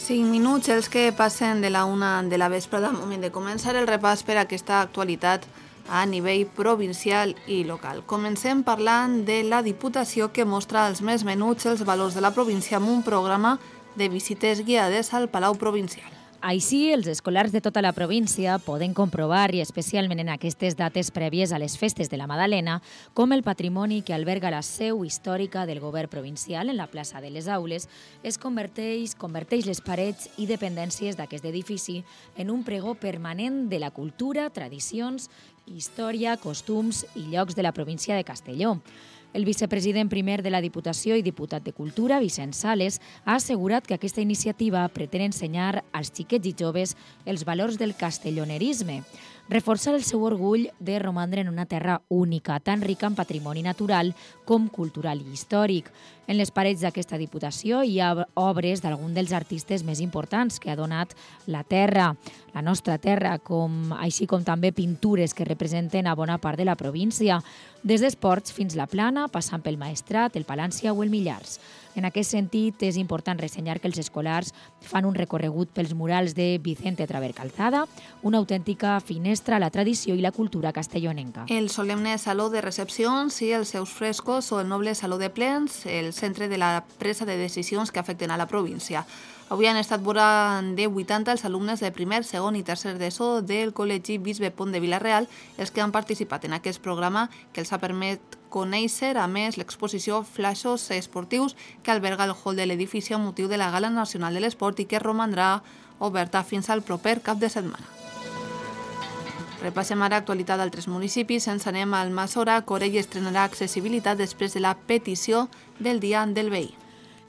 5 minuts els que passen de la 1 de la vesprada, moment de començar el repàs per a aquesta actualitat a nivell provincial i local. Comencem parlant de la Diputació, que mostra als més menuts els valors de la província amb un programa de visites guiades al Palau Provincial. Així, els escolars de tota la província poden comprovar, i especialment en aquestes dates prèvies a les festes de la Madalena, com el patrimoni que alberga la seu històrica del govern provincial en la plaça de les Aules converteix les parets i dependències d'aquest edifici en un pregó permanent de la cultura, tradicions, història, costums i llocs de la província de Castelló. El vicepresident primer de la Diputació i diputat de Cultura, Vicent Sales, ha assegurat que aquesta iniciativa pretén ensenyar als xiquets i joves els valors del castellonerisme, reforçar el seu orgull de romandre en una terra única, tan rica en patrimoni natural com cultural i històric. En les parets d'aquesta Diputació hi ha obres d'algun dels artistes més importants que ha donat la terra, la nostra terra, així com també pintures que representen a bona part de la província, des d'esports fins la Plana, passant pel Maestrat, el Palància o el Millars. En aquest sentit, és important ressenyar que els escolars fan un recorregut pels murals de Vicente Traver Calzada, una autèntica finestra a la tradició i la cultura castellonenca. El solemne Saló de Recepcions i els seus frescos o el noble Saló de Plens, el centre de la presa de decisions que afecten a la província. Avui han estat vora de 80 els alumnes de primer, segon i tercer d'ESO del Col·legi Bisbe Pont de Vila-real, els que han participat en aquest programa que els ha permès conèixer, a més, l'exposició Flaixos Esportius que alberga el hall de l'edifici amb motiu de la Gala Nacional de l'Esport i que romandrà oberta fins al proper cap de setmana. Repassem ara actualitat d'altres municipis. Ens anem al Massora. Corell estrenarà accessibilitat després de la petició del Dia del Veí.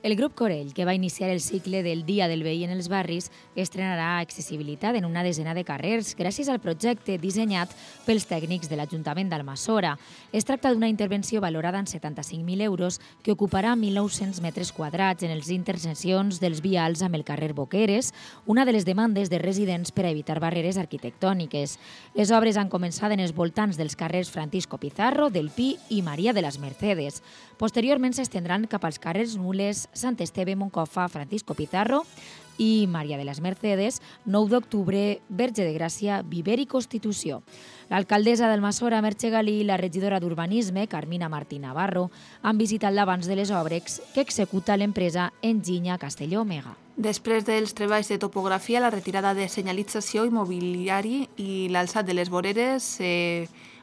El grup Corell, que va iniciar el cicle del Dia del Veí en els barris, estrenarà accessibilitat en una desena de carrers gràcies al projecte dissenyat pels tècnics de l'Ajuntament d'Almassora. Es tracta d'una intervenció valorada en 75.000 euros que ocuparà 1.900 metres quadrats en les interseccions dels vials amb el carrer Boqueres, una de les demandes de residents per a evitar barreres arquitectòniques. Les obres han començat en els voltants dels carrers Francisco Pizarro, del Pi i Maria de les Mercedes. Posteriorment s'estendran cap als carrers Nules, Sant Esteve, Moncofa, Francisco Pizarro i Maria de les Mercedes, 9 d'octubre, Verge de Gràcia, Viver i Constitució. L'alcaldessa d'Almassora, Merche Galí, i la regidora d'Urbanisme, Carmina Martí Navarro, han visitat l'abans de les obres que executa l'empresa Enginya Castelló Omega. Després dels treballs de topografia, la retirada de senyalització immobiliari i l'alçat de les voreres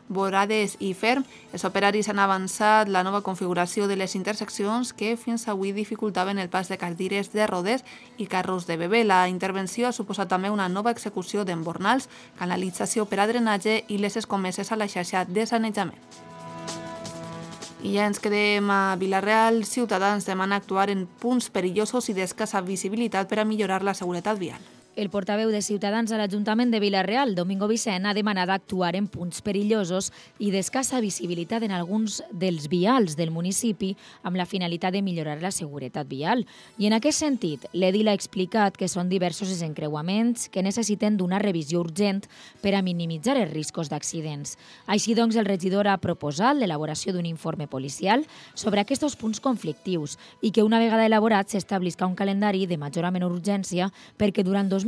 vorades i ferm, els operaris han avançat la nova configuració de les interseccions que fins avui dificultaven el pas de cadires de rodes i carros de bebè. La intervenció ha suposat també una nova execució d'embornals, canalització per a drenatge i les escomeses a la xarxa de sanejament. I ja ens quedem a Vila-real. Ciutadans demana actuar en punts perillosos i d'escassa visibilitat per a millorar la seguretat vial. El portaveu de Ciutadans a l'Ajuntament de Vila-real, Domingo Vicent, ha demanat actuar en punts perillosos i d'escassa visibilitat en alguns dels vials del municipi amb la finalitat de millorar la seguretat vial. I en aquest sentit, l'edil ha explicat que són diversos els encreuaments que necessiten d'una revisió urgent per a minimitzar els riscos d'accidents. Així doncs, el regidor ha proposat l'elaboració d'un informe policial sobre aquests punts conflictius i que una vegada elaborat s'establisca un calendari de major a menor urgència perquè durant 2018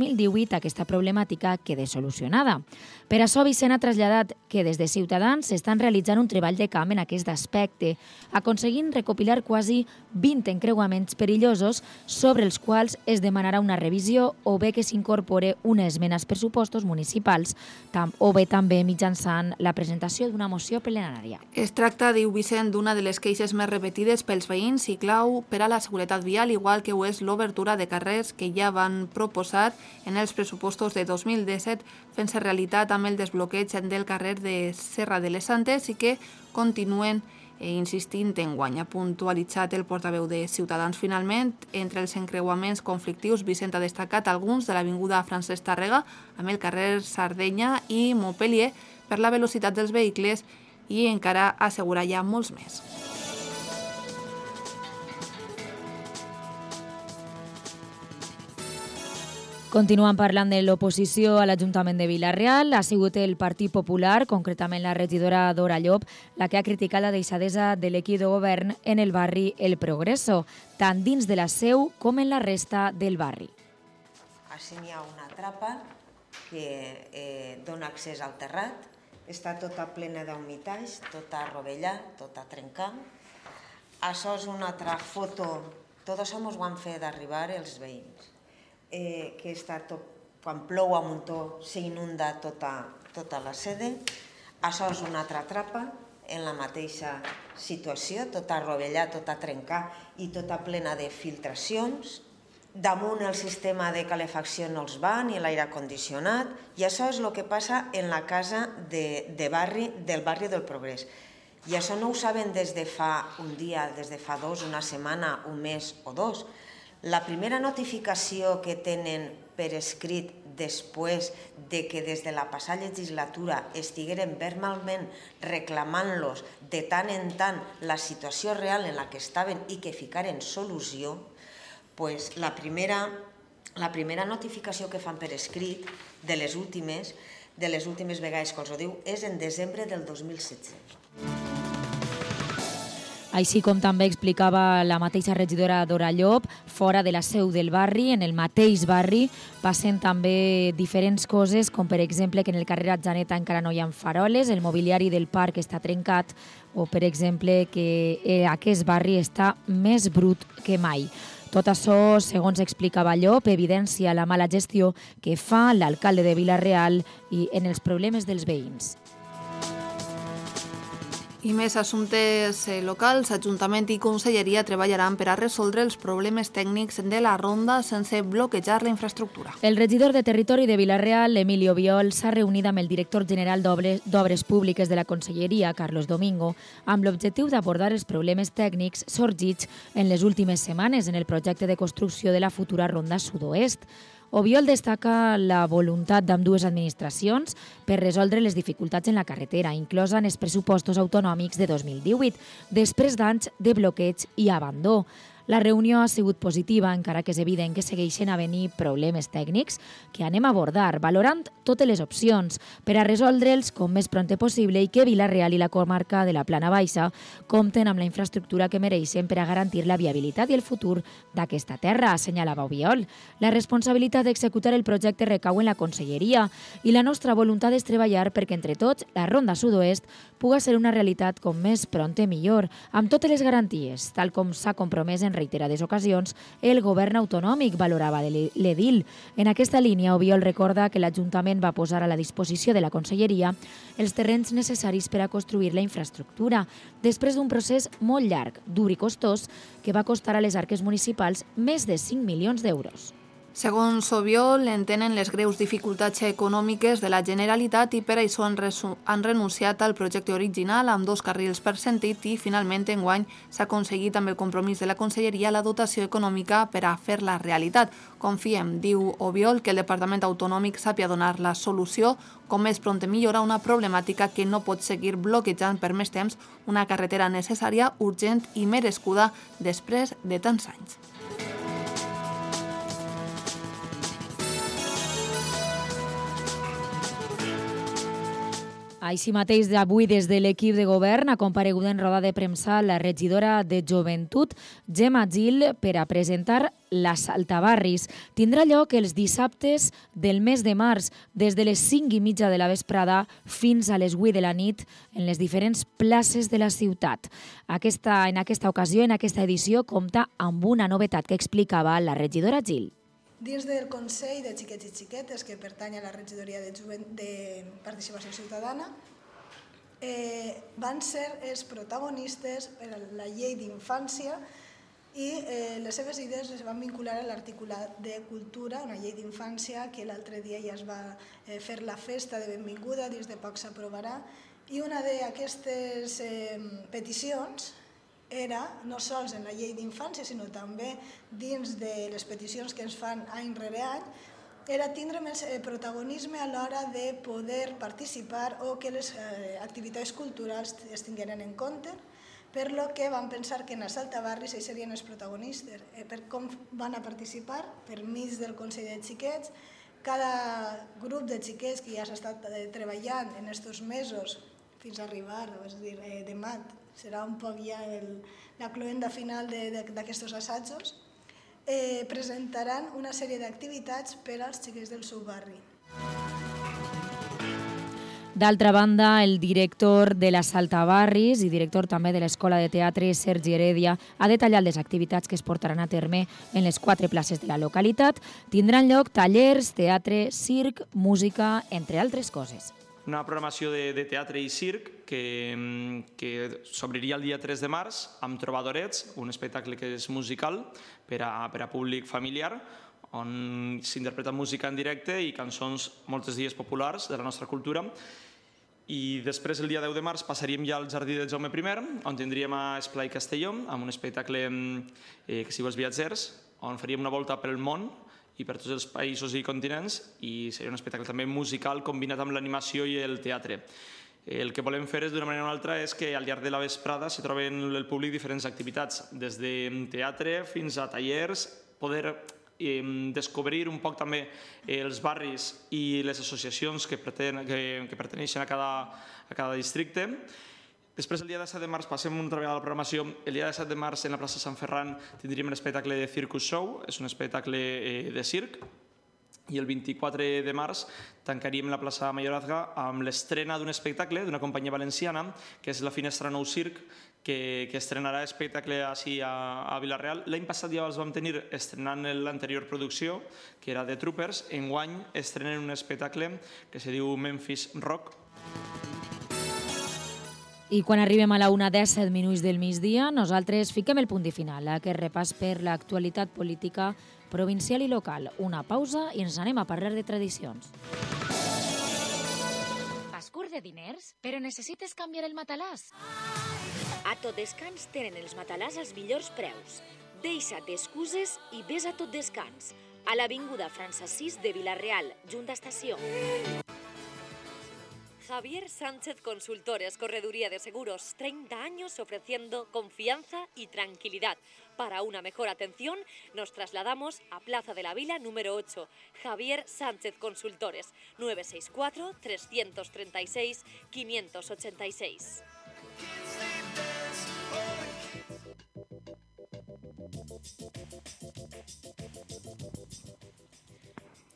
aquesta problemàtica quede solucionada. Per això, Vicent ha traslladat que des de Ciutadans s'estan realitzant un treball de camp en aquest aspecte, aconseguint recopilar quasi 20 encreuaments perillosos sobre els quals es demanarà una revisió o bé que s'incorpore una esmena als pressupostos municipals o bé també mitjançant la presentació d'una moció plenària. Es tracta, diu Vicent, d'una de les queixes més repetides pels veïns i clau per a la seguretat vial, igual que ho és l'obertura de carrers que ja van proposar en els pressupostos de 2017, fent-se realitat amb el desbloqueig del carrer de Serra de les Santes i que continuen insistint en guany. Ha puntualitzat el portaveu de Ciutadans. Finalment, entre els encreuaments conflictius, Vicent ha destacat alguns de l'avinguda Francesc Tàrrega amb el carrer Sardenya i Montpellier per la velocitat dels vehicles i encara assegurar ja molts més. Continuant parlant de l'oposició a l'Ajuntament de Vila-real, ha sigut el Partit Popular, concretament la regidora Dora Llop, la que ha criticat la deixadesa de l'equip de govern en el barri El Progreso, tant dins de la seu com en la resta del barri. Així n'hi ha una trapa que dona accés al terrat, està tota plena d'humitats, tota rovellat, tota trencada. Això és una altra foto, tot això ens ho han fet arribar els veïns, que està tot, quan plou a muntó s'inunda tota la sede. Això és una altra trapa, en la mateixa situació, tota rovellat, tota trencada i tota plena de filtracions. Damunt el sistema de calefacció no els va, ni l'aire condicionat, i això és el que passa en la casa del barri del Progrés. I això no ho saben des de fa un dia, des de fa dos, una setmana, un mes o dos. La primera notificació que tenen per escrit després de que des de la passada legislatura estigueren verbalment reclamant-los de tant en tant la situació real en la que estaven i que ficaren solució, pues la primera notificació que fan per escrit de les últimes vegades que els ho diu és en desembre del 2016. Així com també explicava la mateixa regidora Dora Llop, fora de la seu del barri, en el mateix barri, passen també diferents coses, com per exemple que en el carrer Atzeneta encara no hi ha faroles, el mobiliari del parc està trencat, o per exemple que aquest barri està més brut que mai. Tot això, segons explicava Llop, evidencia la mala gestió que fa l'alcalde de Vila-real i en els problemes dels veïns. I més assumptes locals, Ajuntament i Conselleria treballaran per a resoldre els problemes tècnics de la ronda sense bloquejar la infraestructura. El regidor de Territori de Vila-real, Emilio Biol, s'ha reunit amb el director general d'Obres Públiques de la Conselleria, Carlos Domingo, amb l'objectiu d'abordar els problemes tècnics sorgits en les últimes setmanes en el projecte de construcció de la futura ronda sud-oest. Obiol destaca la voluntat d'ambdues administracions per resoldre les dificultats en la carretera, inclosa en els pressupostos autonòmics de 2018, després d'anys de bloqueig i abandó. La reunió ha sigut positiva, encara que és evident que segueixen a venir problemes tècnics que anem a abordar, valorant totes les opcions per a resoldre'ls com més pront possible i que Vila-real i la comarca de la Plana Baixa compten amb la infraestructura que mereixen per a garantir la viabilitat i el futur d'aquesta terra, assenyalava Obiol. La responsabilitat d'executar el projecte recau en la Conselleria i la nostra voluntat és treballar perquè entre tots la Ronda Sud-oest puga ser una realitat com més pront millor, amb totes les garanties, tal com s'ha compromès en reiterades ocasions el govern autonòmic, valorava l'edil. En aquesta línia, Obiol recorda que l'Ajuntament va posar a la disposició de la Conselleria els terrenys necessaris per a construir la infraestructura, després d'un procés molt llarg, dur i costós, que va costar a les arques municipals més de 5 milions d'euros. Segons Obiol, entenen les greus dificultats econòmiques de la Generalitat i per això han renunciat al projecte original amb 2 carrils per sentit i finalment enguany s'ha aconseguit amb el compromís de la Conselleria la dotació econòmica per a fer-la realitat. Confiem, diu Obiol, que el Departament Autonòmic sàpia donar la solució com més pront millor a una problemàtica que no pot seguir bloquejant per més temps una carretera necessària, urgent i merescuda després de tants anys. Així mateix, avui des de l'equip de govern ha comparegut en roda de premsa la regidora de Joventut, Gemma Gil, per a presentar la Saltabarris. Tindrà lloc els dissabtes del mes de març, des de les 5:30 de la vesprada fins a les 8 de la nit en les diferents places de la ciutat. En aquesta ocasió, en aquesta edició, compta amb una novetat que explicava la regidora Gil. Dins del Consell de Xiquets i Xiquetes, que pertany a la regidoria de Participació Ciutadana, van ser els protagonistes per a la llei d'infància i les seves idees es van vincular a l'articulat de cultura, una llei d'infància que l'altre dia ja es va fer la festa de benvinguda, dins de poc s'aprovarà, i una d'aquestes peticions era, no sols en la llei d'infància, sinó també dins de les peticions que ens fan any rere any, era tindre més protagonisme a l'hora de poder participar o que les activitats culturals es tingueren en compte, per lo que vam pensar que en els Saltabarris ells serien els protagonistes. Per com van a participar? Per mig del Consell de Xiquets. Cada grup de xiquets que ja s'ha estat treballant en aquests mesos fins a arribar, és a dir, demà serà un poc ja la cloenda final d'aquests assajos, presentaran una sèrie d'activitats per als xiquets del seu barri. D'altra banda, el director de la Saltabarris i director també de l'Escola de Teatre, Sergi Heredia, ha detallat les activitats que es portaran a terme en les 4 places de la localitat. Tindran lloc tallers, teatre, circ, música, entre altres coses. Una programació de teatre i circ que s'obriria el dia 3 de març amb Trobadorets, un espectacle que és musical per a públic familiar, on s'interpreta música en directe i cançons molts dies populars de la nostra cultura. I després, el dia 10 de març, passaríem ja al Jardí de Jaume I, on tindríem a Esplai Castelló, amb un espectacle que es diu Els Viatgers, on faríem una volta pel món i per tots els països i continents, i seria un espectacle també musical combinat amb l'animació i el teatre. El que volem fer d'una manera o una altra és que al llarg de la vesprada s'hi troben el públic diferents activitats, des de teatre fins a tallers, poder descobrir un poc també els barris i les associacions que pertaneixen a cada districte. Després, el dia 17 de març, passem una altra vegada a la programació. El dia 17 de març, en la plaça Sant Ferran, tindríem l'espectacle de Circus Show, és un espectacle de circ. I el 24 de març tancaríem la plaça Mayorazga amb l'estrena d'un espectacle d'una companyia valenciana, que és la Finestra Nou Circ, que estrenarà espectacle així a Vila-real. L'any passat ja els vam tenir estrenant l'anterior producció, que era de Troopers. Enguany estrenen un espectacle que se diu Memphis Rock. I quan arribem a la 1:17 del migdia, nosaltres fiquem el punt i final a aquest repàs per l'actualitat política provincial i local. Una pausa i ens anem a parlar de tradicions. Vas curt de diners, però necessites canviar el matalàs? A Tot Descans tenen els matalàs als millors preus. Deixa't d'excuses i vés a Tot Descans, a l'avinguda França 6 de Vila-real, junt a estació. Javier Sánchez Consultores, Correduría de Seguros, 30 años ofreciendo confianza y tranquilidad. Para una mejor atención, nos trasladamos a Plaza de la Vila número 8. Javier Sánchez Consultores, 964-336-586.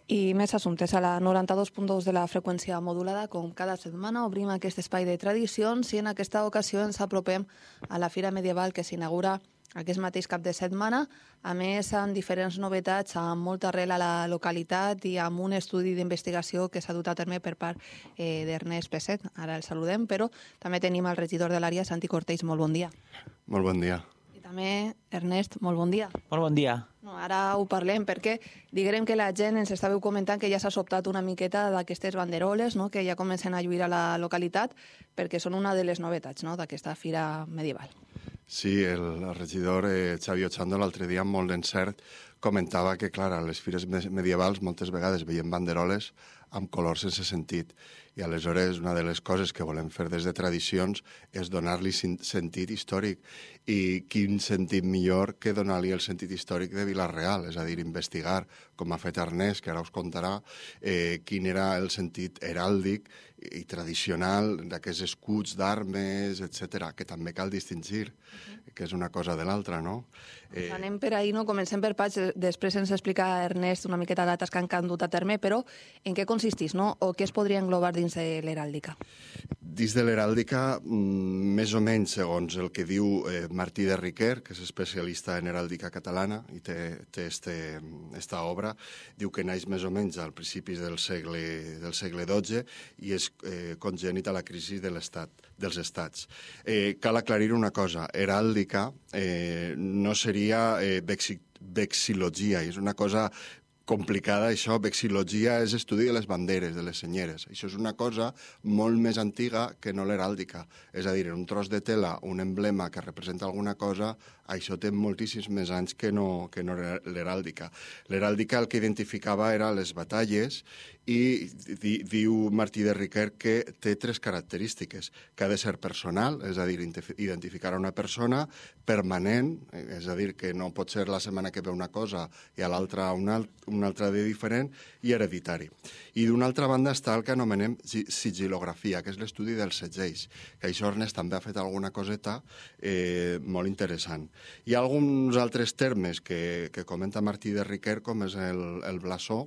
I més assumptes a la 92.2 de la freqüència modulada. Com cada setmana obrim aquest espai de tradicions i en aquesta ocasió ens apropem a la Fira Medieval que s'inaugura aquest mateix cap de setmana, a més amb diferents novetats, amb molta arrel a la localitat i amb un estudi d'investigació que s'ha dut a terme per part d'Ernest Peset. Ara el saludem, però també tenim el regidor de l'àrea, Santi Cortells. Molt bon dia. Molt bon dia. I també, Ernest, molt bon dia. Molt bon dia. No, ara ho parlem perquè diguem que la gent ens estàveu comentant que ja s'ha sobtat una miqueta d'aquestes banderoles, no?, que ja comencen a lluir a la localitat perquè són una de les novetats, no?, d'aquesta Fira Medieval. Sí, el regidor Xavi Ochando l'altre dia, molt d'encert, comentava que, clar, a les fires medievals moltes vegades veiem banderoles amb colors sense sentit. I aleshores una de les coses que volem fer des de tradicions és donar-li sentit històric. I quin sentit millor que donar-li el sentit històric de Vila-real, és a dir, investigar, com ha fet Ernest, que ara us contarà, quin era el sentit heràldic i tradicional d'aquests escuts d'armes, etc., que també cal distingir, que és una cosa de l'altra, no? Anem per ahir, no? Comencem per parts, després ens explica Ernest una miqueta dates que han dut a terme, però en què consisteix, no?, o què es podria englobar dins de l'heràldica? Dins de l'heràldica, més o menys, segons el que diu Martí de Riquer, que és especialista en heràldica catalana i té esta obra, diu que naix més o menys al principis del segle XII i és congènit a la crisi dels estats. Cal aclarir una cosa, heràldica no seria vexilogia, és una cosa complicada, això. Vexilogia és estudi de les banderes, de les senyeres. Això és una cosa molt més antiga que no l'heràldica. És a dir, en un tros de tela, un emblema que representa alguna cosa, això té moltíssims més anys que no l'heràldica. L'heràldica el que identificava era les batalles i diu Martí de Riquer que té 3 característiques, que ha de ser personal, és a dir, identificar una persona, permanent, és a dir, que no pot ser la setmana que ve una cosa i a l'altra una un altre de diferent, i hereditari. I d'una altra banda està el que anomenem sigilografia, que és l'estudi dels segells, que això Ernest també ha fet alguna coseta molt interessant. Hi ha alguns altres termes que comenta Martí de Riquer, com és el blasó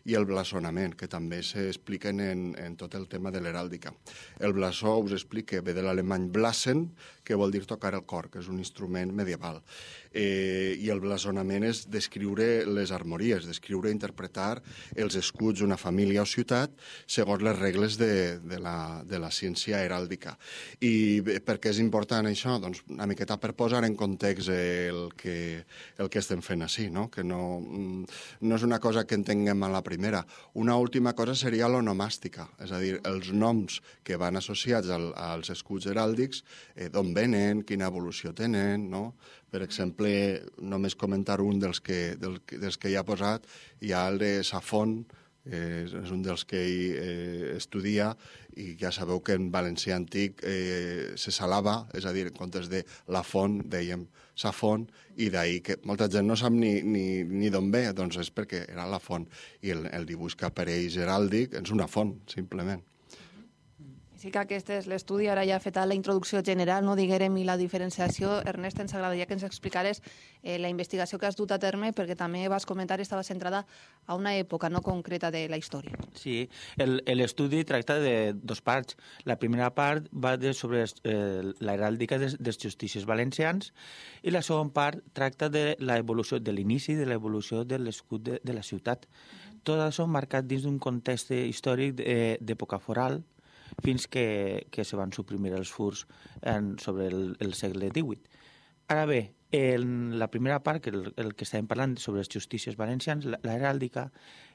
i el blasonament, que també s'expliquen en tot el tema de l'heràldica. El blasó, us explico, ve de l'alemany blasen, que vol dir tocar el cor, que és un instrument medieval. I el blasonament és descriure les armories, descriure i interpretar els escuts d'una família o ciutat segons les regles de la ciència heràldica. I per què és important això? Doncs una miqueta per posar en context el que estem fent així, no? Que no és una cosa que entenguem a la primera. Una última cosa seria l'onomàstica, és a dir, els noms que van associats als escuts heràldics, d'on venen, quina evolució tenen, no? Per exemple, només comentar un dels que hi ha posat, hi ha el de Safon, és un dels que ell estudia, i ja sabeu que en valencià antic se salava, és a dir, en comptes de la font, dèiem Safon, i d'ahir que molta gent no sap ni d'on ve, doncs és perquè era la font, i el dibuix que apareix heràldic és una font, simplement. Sí que aquest és l'estudi, ara ja ha fet la introducció general, no diguérem, i la diferenciació. Ernest, ens agradaria que ens explicares la investigació que has dut a terme, perquè també vas comentar estava centrada a una època no concreta de la història. Sí, l'estudi tracta de dos parts. La primera part va sobre la heràldica dels justícies valencians, i la segona part tracta de l'evolució, de l'inici de l'evolució de l'escut de la ciutat. Tot això marcat dins d'un context històric d'època foral, fins que se van suprimir els furs sobre el segle XVIII. Ara bé, en la primera part, que el que estàvem parlant sobre les justícies valencians, l'heràldica,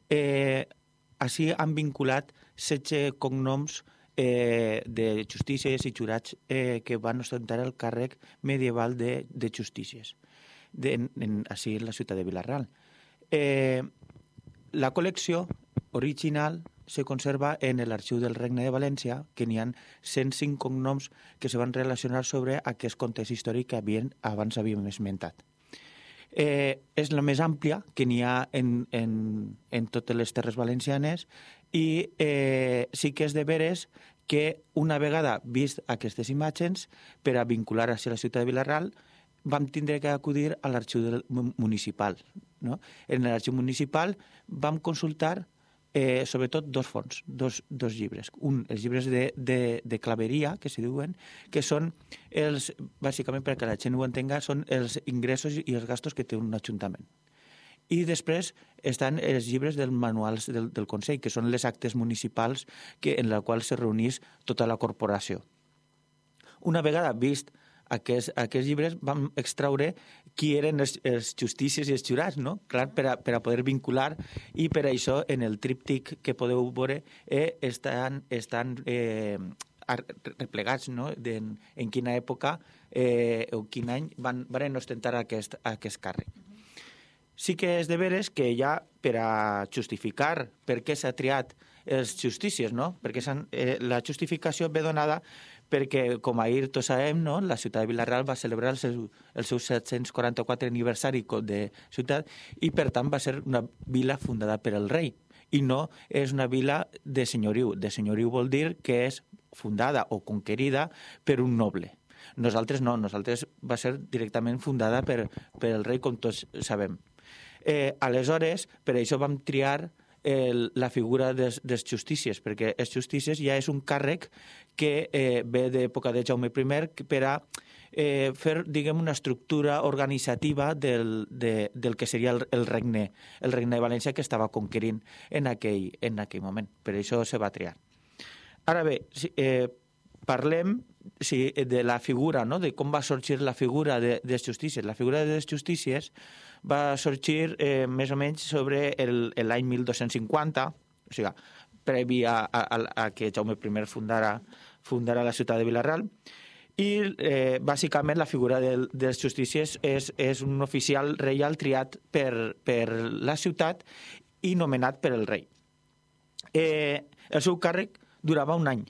així han vinculat 16 cognoms de justícies i jurats que van ostentar el càrrec medieval de justícies, així en la ciutat de Vila-real. La col·lecció original se conserva en l'Arxiu del Regne de València, que n'hi ha 105 cognoms que se van relacionar sobre aquest context històric que abans havíem esmentat. És la més àmplia que n'hi ha en totes les terres valencianes, i sí que és de veres que una vegada vist aquestes imatges, per a vincular a la ciutat de Vila-real, vam tindre que acudir a l'arxiu municipal. No? En l'arxiu municipal vam consultar sobretot dos fonts, dos llibres. Els llibres de claveria, que se diuen, que són bàsicament, perquè la gent ho entenga, són els ingressos i els gastos que té un ajuntament. I després estan els llibres dels manuals del Consell, que són les actes municipals en la qual se reunís tota la corporació. Una vegada vist aquests llibres, vam extraure qui eren els justícies i els jurats, no? Clar, per a poder vincular, i per això en el tríptic que podeu veure estan replegats, no? En quina època o quin any van ostentar aquest càrrec. Sí que és de veres que ja, per a justificar per què s'ha triat els justícies, no? Perquè la justificació ve donada perquè, com ahir tots sabem, no? La ciutat de Vila-real va celebrar el seu 744 aniversari de ciutat, i per tant va ser una vila fundada per el rei, i no és una vila de senyoriu. De senyoriu vol dir que és fundada o conquerida per un noble. Nosaltres no, nosaltres va ser directament fundada per el rei, com tots sabem. Aleshores, per això vam triar la figura dels justícies, perquè els justícies ja és un càrrec que ve d'època de Jaume I per a fer, diguem, una estructura organitzativa del que seria el regne de València, que estava conquerint en aquell moment. Per això se va triar. Ara bé, parlem de la figura, no? De com va sorgir la figura de les justícies. La figura de les justícies va sorgir més o menys sobre l'any 1250, o sigui, previ a que Jaume I fundara la ciutat de Vila-real, i bàsicament la figura dels justícies és un oficial reial triat per la ciutat i nomenat per el rei. El seu càrrec durava un any.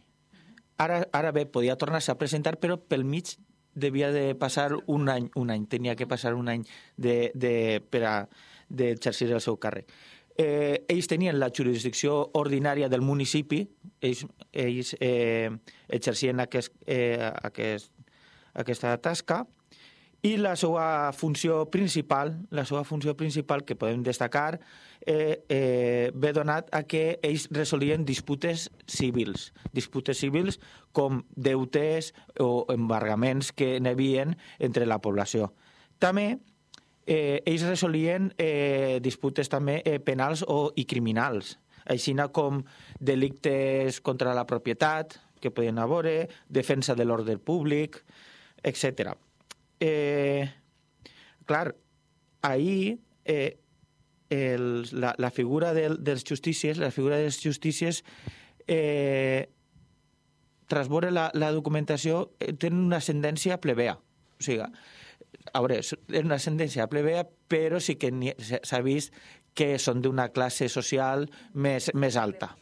Ara bé, podia tornar-se a presentar, però pel mig devia de passar un any, tenia que passar un any per a d'exercir el seu càrrec. ells tenien la jurisdicció ordinària del municipi, ells exercien aquesta tasca, i la seva funció principal que podem destacar ve donat a que ells resolien disputes civils com deutes o embargaments que n'hi havia entre la població. També ells resolien disputes també penals i criminals, així com delictes contra la propietat que podien haver, defensa de l'ordre públic, etc. Clar, ahir la figura dels justícies, tras veure la documentació, tenen una ascendència plebea. O sigui, a veure, és una ascendència plebea, però sí que s'ha vist que són d'una classe social més alta.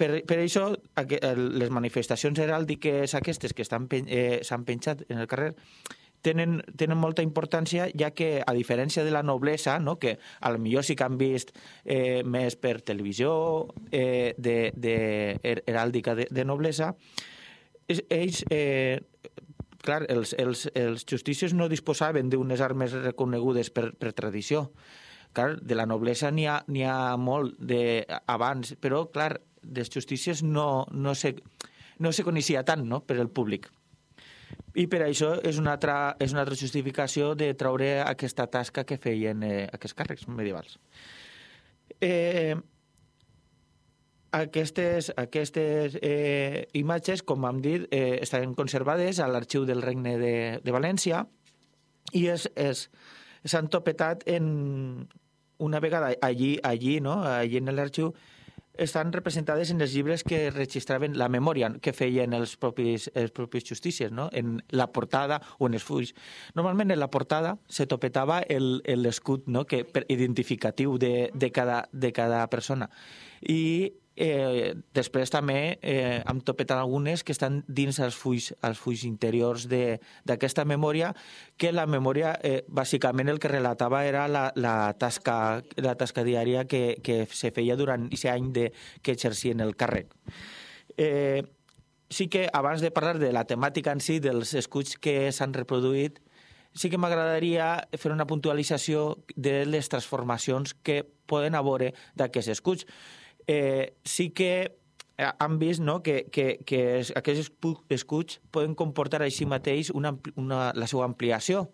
Per això, les manifestacions heràldiques aquestes que s'han penjat en el carrer tenen molta importància, ja que, a diferència de la noblesa, que potser sí que han vist més per televisió, heràldica de noblesa, ells, clar, els justícies no disposaven d'unes armes reconegudes per tradició. Clar, de la noblesa n'hi ha molt abans, però, clar, dels justícies no se coneixia tant, no?, per al públic. I per això és una altra justificació de treure aquesta tasca que feien aquests càrrecs medievals. Aquestes imatges, com hem dit, estan conservades a l'Arxiu del Regne de València i s'han topetat una vegada allí en l'arxiu, estan representades en els llibres que registraven la memòria que feien els propis justícies, no?, en la portada o en els fulls. Normalment en la portada se topetava l'escut, no?, identificatiu de cada persona. I després també hem topetat algunes que estan dins els fulls interiors d'aquesta memòria, que la memòria bàsicament el que relatava era la tasca diària que se feia durant aquest any que exercien el càrrec. Sí que abans de parlar de la temàtica en si, dels escuts que s'han reproduït, sí que m'agradaria fer una puntualització de les transformacions que poden haver d'aquests escuts. Sí que han vist, no?, que aquests escuts poden comportar així mateix la seva ampliació.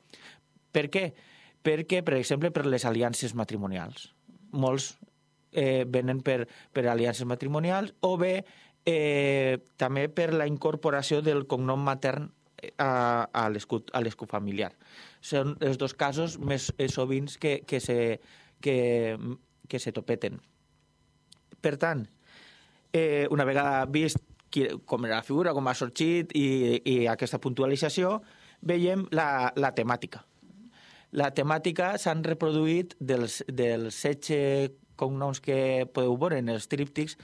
Per què? Perquè, per exemple, per les aliances matrimonials. Molts venen per aliances matrimonials o bé també per la incorporació del cognom matern a l'escut familiar. Són els dos casos més sovint que se topeten. Per tant, una vegada vist com era la figura, com ha sorgit i aquesta puntualització, veiem la temàtica. La temàtica s'han reproduït dels 16 cognoms que podeu veure en els tríptics.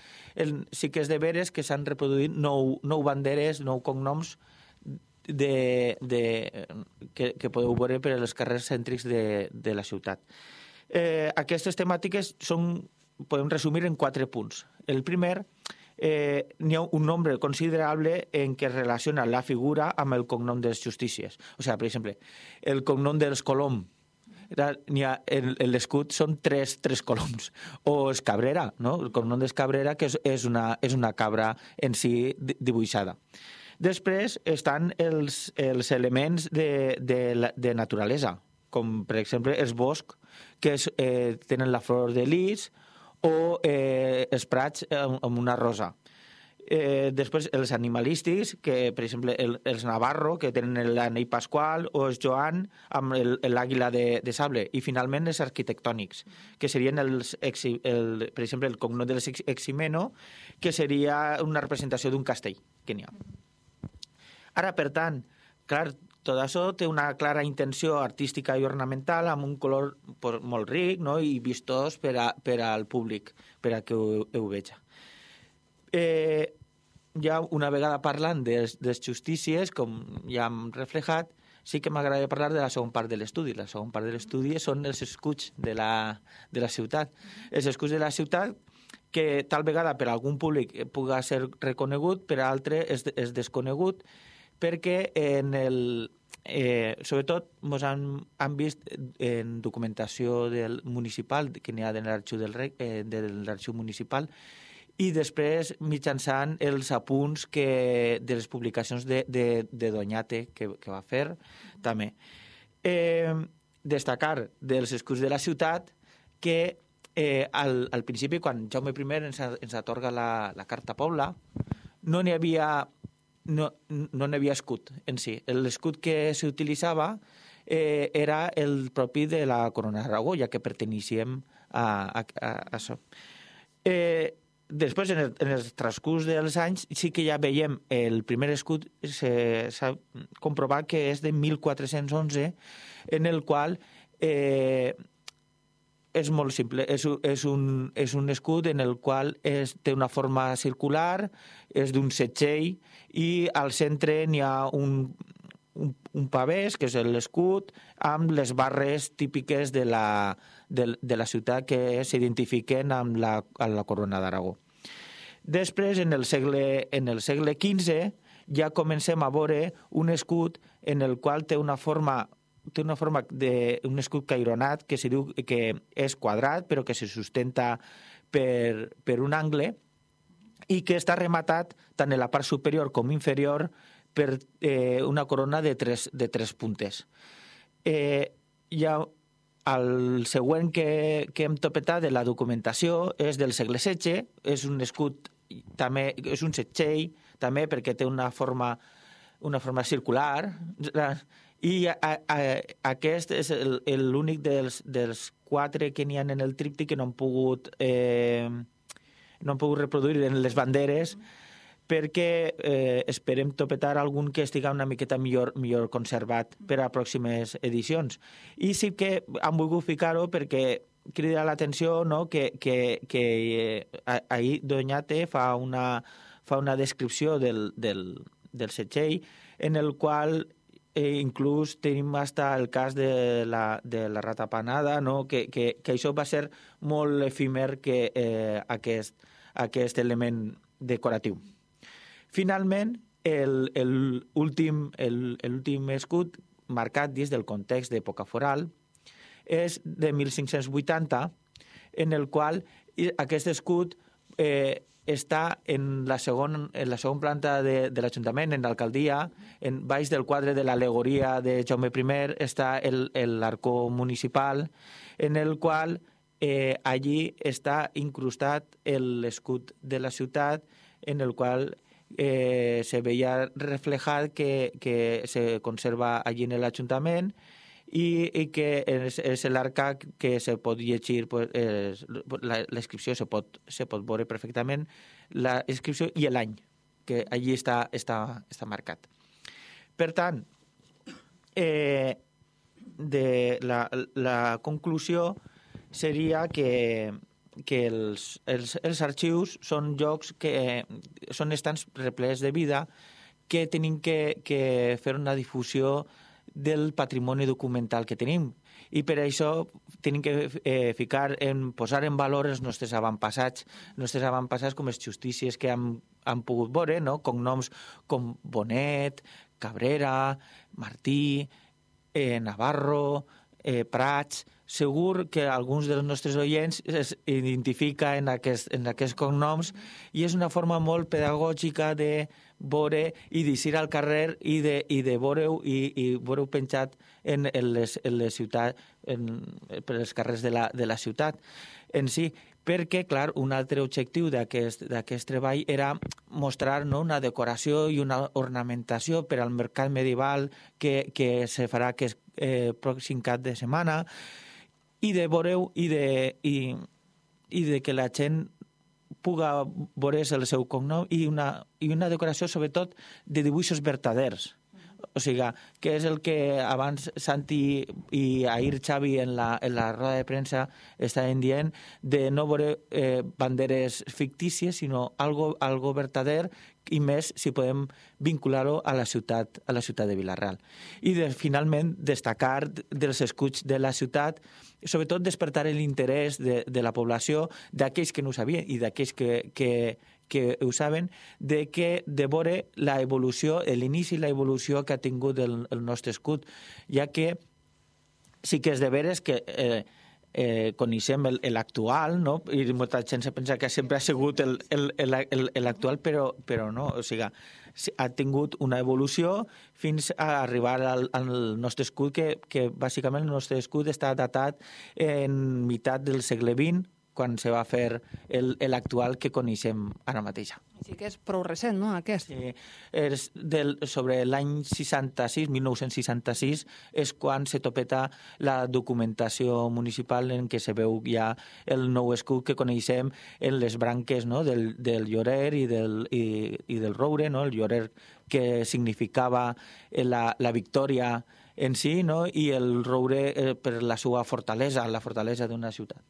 Sí que és de veres que s'han reproduït 9 banderes, 9 cognoms que podeu veure per als carrers cèntrics de la ciutat. Aquestes temàtiques podem resumir en 4 punts. El primer, n'hi ha un nombre considerable en què es relaciona la figura amb el cognom dels justícies. O sigui, per exemple, el cognom dels Colom, l'escut són 3 coloms. O els Cabrera, no? El cognom dels Cabrera, que és una cabra en si dibuixada. Després estan els elements de naturalesa, com per exemple els boscs, que tenen la flor de lis, o els prats amb una rosa. Després els animalístics, que per exemple els Navarro, que tenen l'anell pasqual, o els Joan amb l'àguila de sable. I finalment els arquitectònics, que serien per exemple el cognom dels Eximeno, que seria una representació d'un castell que n'hi ha. Ara, per tant, clar, tot això té una clara intenció artística i ornamental amb un color molt ric, no?, i vistós per al públic, per a que ho veja. Ja una vegada parlant dels justícies, com ja hem reflejat, sí que m'agradaria parlar de la segona part de l'estudi. La segona part de l'estudi són els escuts de la ciutat. Els escuts de la ciutat que tal vegada per algun públic pugui ser reconegut, per altre és desconegut, perquè sobretot ens han vist en documentació municipal, que n'hi ha de l'arxiu municipal, i després mitjançant els apunts de les publicacions de Doñate que va fer també. Destacar dels escuts de la ciutat que al principi, quan Jaume I ens atorga la Carta Pobla, no n'hi havia escut en si. L'escut que s'utilitzava era el propi de la Corona d'Aragó, ja que perteníem a això. Després, en el transcurs dels anys, sí que ja veiem el primer escut, s'ha comprovat que és de 1411, en el qual és molt simple. És un escut en el qual té una forma circular, és d'un setxell, i al centre n'hi ha un pavès, que és l'escut, amb les barres típiques de la ciutat que s'identifiquen amb la Corona d'Aragó. Després, en el segle XV, ja comencem a veure un escut en el qual té una forma d'un escut caironat, que se diu que és quadrat, però que se sustenta per un angle, i que està rematat tant en la part superior com inferior per una corona de tres puntes. El següent que hem topetat de la documentació és del segle XVI, és un escut també, és un setxell també, perquè té una forma circular, i aquest és l'únic dels 4 que n'hi ha en el tríptic que no han pogut reproduir en les banderes, perquè esperem topetar algun que estigui una miqueta millor conservat per a pròximes edicions. I sí que han volgut ficar-ho perquè crida l'atenció, no?, que ahir Doñate fa una descripció del setxell, en el qual inclús tenim hasta el cas de la ratapanada, no?, que això va ser molt efímer, aquest element decoratiu. Finalment, l'últim escut marcat dins del context d'època foral és de 1580, en el qual aquest escut està en la segona planta de l'Ajuntament, en l'alcaldia, baix del quadre de l'al·legoria de Jaume I està l'arcó municipal, en el qual allí està incrustat l'escut de la ciutat, en el qual se veia reflejat que se conserva allí en l'Ajuntament, i que és l'arca que se pot llegir, l'inscripció se pot veure perfectament, la inscripció i l'any, que allí està marcat. Per tant, la conclusió seria que els arxius són llocs que són estants replets de vida, que tenim que fer una difusió del patrimoni documental que tenim, i per això tenim que posar en valor els nostres avantpassats com les justícies que han pogut veure, no?, cognoms com Bonet, Cabrera, Martí, Navarro, Prats. Segur que alguns dels nostres oients es identifiquen en aquests cognoms, i és una forma molt pedagògica de veure i d'eixir al carrer i de veure-ho penjat en les ciutats, per els carrers de la ciutat en si, perquè, clar, un altre objectiu d'aquest treball era mostrar, no?, una decoració i una ornamentació per al mercat medieval que se farà aquest pròxim cap de setmana, i de veure-ho i de que la gent pugui veure el seu cognom, i una decoració sobretot de dibuixos vertaders. O sigui, que és el que abans Santi i ahir Xavi en la roda de premsa estaven dient, de no veure banderes fictícies, sinó algo verdader, i més si podem vincular-ho a la ciutat de Vila-real. I finalment destacar dels escuts de la ciutat, sobretot despertar l'interès de la població, d'aquells que no ho sabien i d'aquells que ho saben, de veure l'evolució, l'inici i l'evolució que ha tingut el nostre escut, ja que sí que és de veres que coneixem l'actual, no? I molta gent pensa que sempre ha sigut l'actual, però no, o sigui, ha tingut una evolució fins a arribar al nostre escut, que bàsicament el nostre escut està datat en meitat del segle XX, quan se va fer l'actual que coneixem ara mateix. Sí que és prou recent, no, aquest? És sobre l'any 66, 1966, és quan se topeta la documentació municipal en què se veu ja el nou escut que coneixem en les branques, no?, del llorer i del roure, no?, el llorer que significava la victòria en si, no?, i el roure per la seva fortalesa, la fortalesa d'una ciutat.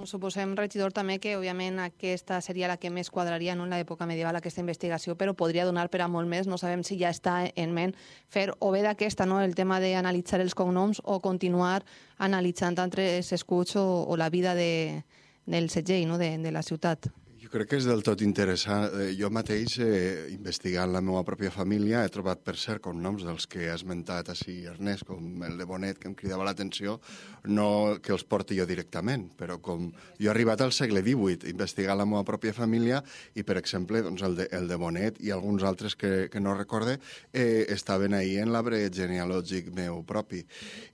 Suposem, regidor, també que, òbviament, aquesta seria la que més quadraria en l'època medieval, aquesta investigació, però podria donar per a molt més. No sabem si ja està en ment fer o bé d'aquesta, no?, el tema d'analitzar els cognoms, o continuar analitzant altres escuts o la vida del segell, no?, de la ciutat. Jo crec que és del tot interessant. Jo mateix, investigant la meva pròpia família, he trobat, per cert, cognoms dels que ha esmentat així Ernest, com el de Bonet, que em cridava l'atenció, no que els porti jo directament, però com jo he arribat al segle XVIII, investigant la meva pròpia família, i, per exemple, doncs, el de Bonet i alguns altres que no recorde, estaven ahí en l'arbre genealògic meu propi.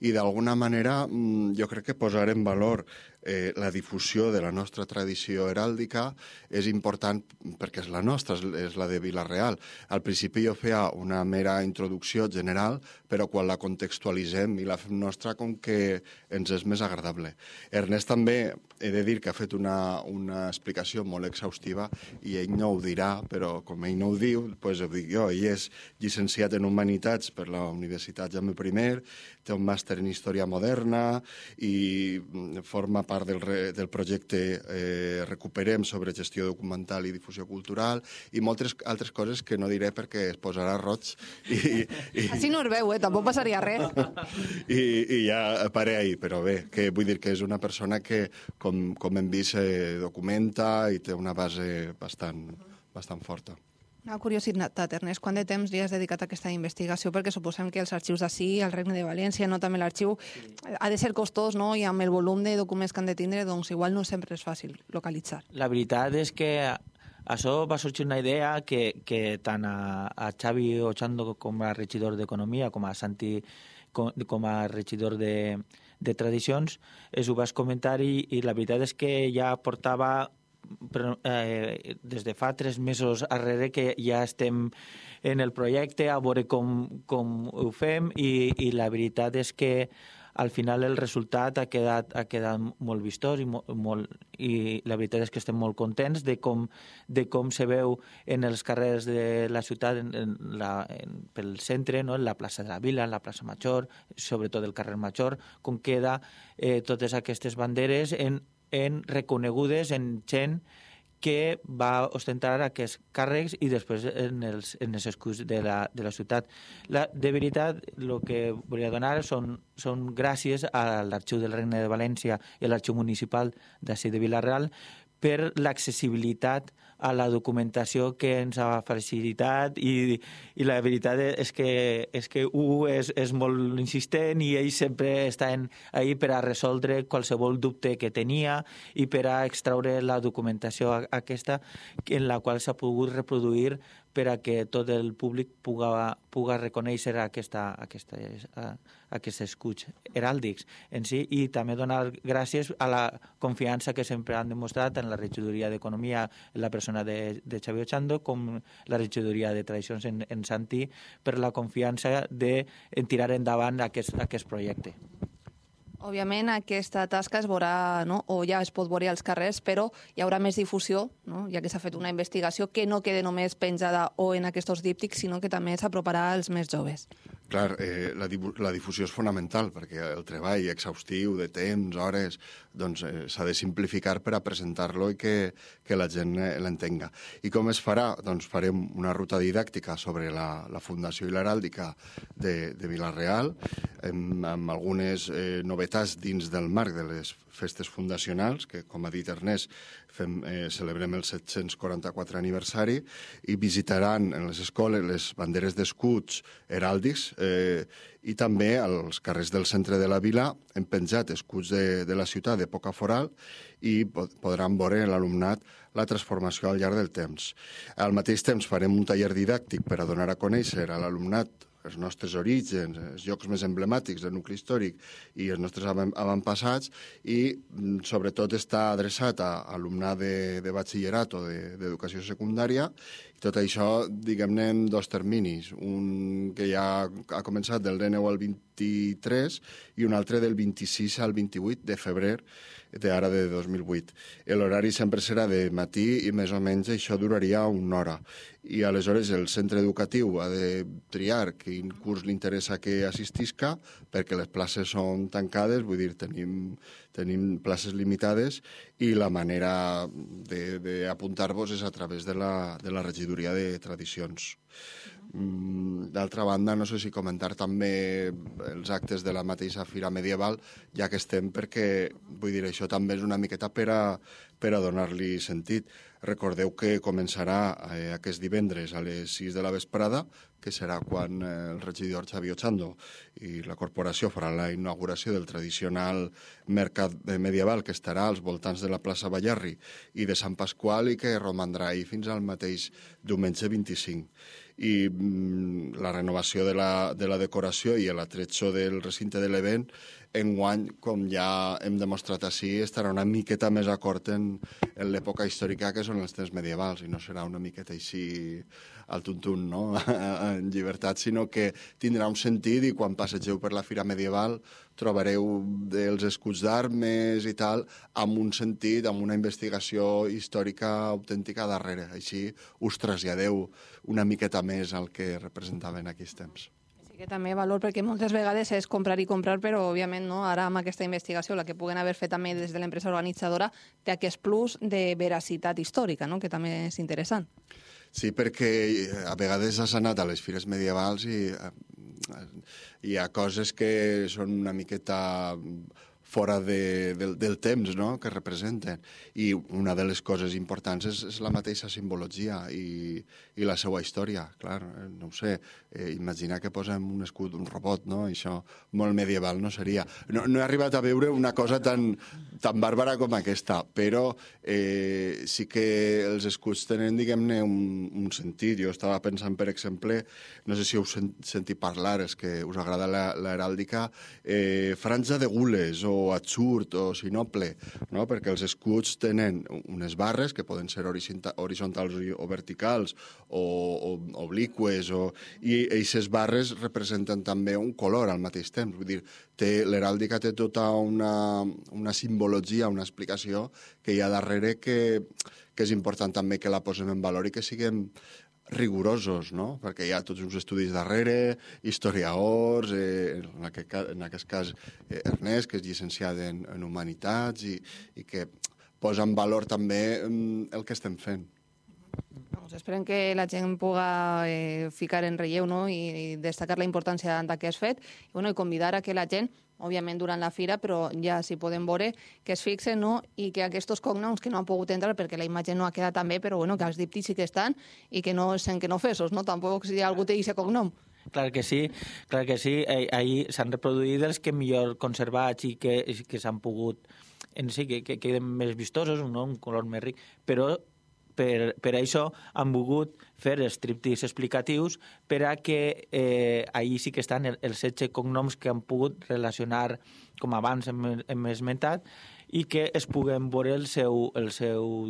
I, d'alguna manera, jo crec que posar en valor la difusió de la nostra tradició heràldica és important perquè és la nostra, és la de Vila-real. Al principi jo feia una mera introducció general, però quan la contextualitzem i la fem nostra, com que ens és més agradable. Ernest també, he de dir que ha fet una explicació molt exhaustiva i ell no ho dirà, però com ell no ho diu, doncs ho dic jo. Ell és llicenciat en Humanitats per la Universitat Jaume I, té un màster en Història Moderna i forma part del projecte Recuperem sobre gestió documental i difusió cultural i moltes altres coses que no diré perquè es posarà roig. Així no es veu, tampoc passaria res. I ja paré ahir, però bé, que vull dir que és una persona que, com hem vist, documenta i té una base bastant forta. Una curiositat, Ernest, quant de temps li has dedicat a aquesta investigació? Perquè suposem que els arxius d'ací, el Regne de València, no també l'arxiu, ha de ser costós, no? I amb el volum de documents que han de tindre, doncs igual no sempre és fàcil localitzar. La veritat és que això va sorgir una idea que tant a Xavi Ochando com a regidor d'Economia, com a Santi com a regidor de Tradicions, ho vas comentar i la veritat és que ja portava des de fa 3 mesos darrere que ja estem en el projecte a veure com ho fem i la veritat és que al final el resultat ha quedat molt vistós i la veritat és que estem molt contents de com se veu en els carrers de la ciutat pel centre, no? En la plaça de la Vila, en la plaça Major, sobretot el carrer Major, com queda totes aquestes banderes reconegudes en gent que va ostentar aquests càrrecs i després en els escuts de la ciutat. De veritat, el que volia donar són gràcies a l'Arxiu del Regne de València i a l'Arxiu Municipal d'ací de Vila-real per l'accessibilitat a la documentació que ens ha facilitat i la veritat és que és molt insistent i ells sempre estan ahí per a resoldre qualsevol dubte que tenia i per a extraure la documentació aquesta en la qual s'ha pogut reproduir per a que tot el públic puga reconèixer aquests escuts heràldics en si i també donar gràcies a la confiança que sempre han demostrat en la regidoria d'Economia, en la persona de Xavi Ochando, com la regidoria de Tradicions en Santi, per la confiança de tirar endavant aquest projecte. Òbviament, aquesta tasca es veurà, no? O ja es pot veure als carrers, però hi haurà més difusió, no? Ja que s'ha fet una investigació que no quede només penjada o en aquests díptics, sinó que també s'aproparà als més joves. Clar, la difusió és fonamental, perquè el treball exhaustiu de temps, hores, doncs s'ha de simplificar per a presentar-lo i que la gent l'entenga. I com es farà? Doncs farem una ruta didàctica sobre la Fundació i l'Heràldica de Vila-real, amb algunes novetats dins del marc de les festes fundacionals, que, com ha dit Ernest, celebrem el 744 aniversari, i visitaran en les escoles les banderes d'escuts heràldics i també als carrers del centre de la vila hem penjat escuts de la ciutat d'època foral i podran veure l'alumnat la transformació al llarg del temps. Al mateix temps farem un taller didàctic per a donar a conèixer a l'alumnat els nostres orígens, els llocs més emblemàtics del nucli històric i els nostres avantpassats i sobretot està adreçat a alumnat de batxillerat o d'educació secundària i tot això, diguem-ne, en dos terminis, un que ja ha començat del 19 al 23 i un altre del 26 al 28 de febrer d'ara de 2008. L'horari sempre serà de matí i més o menys això duraria una hora. I aleshores el centre educatiu ha de triar quin curs li interessa que assistisca perquè les places són tancades, vull dir, tenim places limitades i la manera d'apuntar-vos és a través de la regidoria de tradicions. D'altra banda, no sé si comentar també els actes de la mateixa Fira Medieval, ja que estem, perquè, vull dir, això també és una miqueta per a donar-li sentit. Recordeu que començarà aquest divendres a les 6 de la vesprada, que serà quan el regidor Xavi Ochando i la corporació farà la inauguració del tradicional mercat medieval que estarà als voltants de la plaça Ballarri i de Sant Pasqual i que romandrà ahir fins al mateix diumenge 25. I la renovació de la decoració i l'atretxo del recinte de l'event enguany, com ja hem demostrat així, estarà una miqueta més acord en l'època històrica que són els temps medievals i no serà una miqueta així al tuntun, no? En llibertat, sinó que tindrà un sentit i quan passegeu per la Fira Medieval trobareu els escuts d'armes i tal amb un sentit, amb una investigació històrica autèntica darrere. Així us traslladeu una miqueta més al que representaven aquells temps. Sí que també valor, perquè moltes vegades és comprar i comprar, però òbviament no, ara amb aquesta investigació, la que puguen haver fet també des de l'empresa organitzadora, té aquest plus de veracitat històrica, no? Que també és interessant. Sí, perquè a vegades has anat a les fires medievals i hi ha coses que són una miqueta fora del temps, no?, que representen. I una de les coses importants és la mateixa simbologia i la seva història. Clar, no ho sé, imaginar que posem un escut, un robot, no?, això molt medieval no seria. No he arribat a veure una cosa tan bàrbara com aquesta, però sí que els escuts tenen, diguem-ne, un sentit. Jo estava pensant, per exemple, no sé si heu sentit parlar, és que us agrada l'heràldica, franja de gules o atzur o sinople, no? Perquè els escuts tenen unes barres que poden ser horitzontals o verticals o obliqües i aquestes barres representen també un color al mateix temps. Vull dir, l'heràldica té tota una simbologia, una explicació que hi ha darrere que és important també que la posem en valor i que siguem rigorosos, no? Perquè hi ha tots uns estudis darrere, historiadors, en aquest cas Ernest, que és llicenciat en Humanitats i que posa en valor també el que estem fent. Esperem que la gent puga ficar en relleu, no?, i destacar la importància d'aquest fet i convidar a que la gent, òbviament durant la fira, però ja s'hi poden veure, que es fixen, no?, i que aquests cognoms que no han pogut entrar perquè la imatge no ha quedat tan bé, però que els díptics sí que estan i que no sent que no fesos, no? Tampoc si algú té aquest cognom. Clar que sí. Ahir s'han reproduït els que millor conservats i que s'han pogut, que queden més vistosos, un color més ric, però per això han volgut fer els tríptics explicatius per a que ahir sí que estan els 16 cognoms que han pogut relacionar, com abans hem esmentat, i que es puguen veure el seu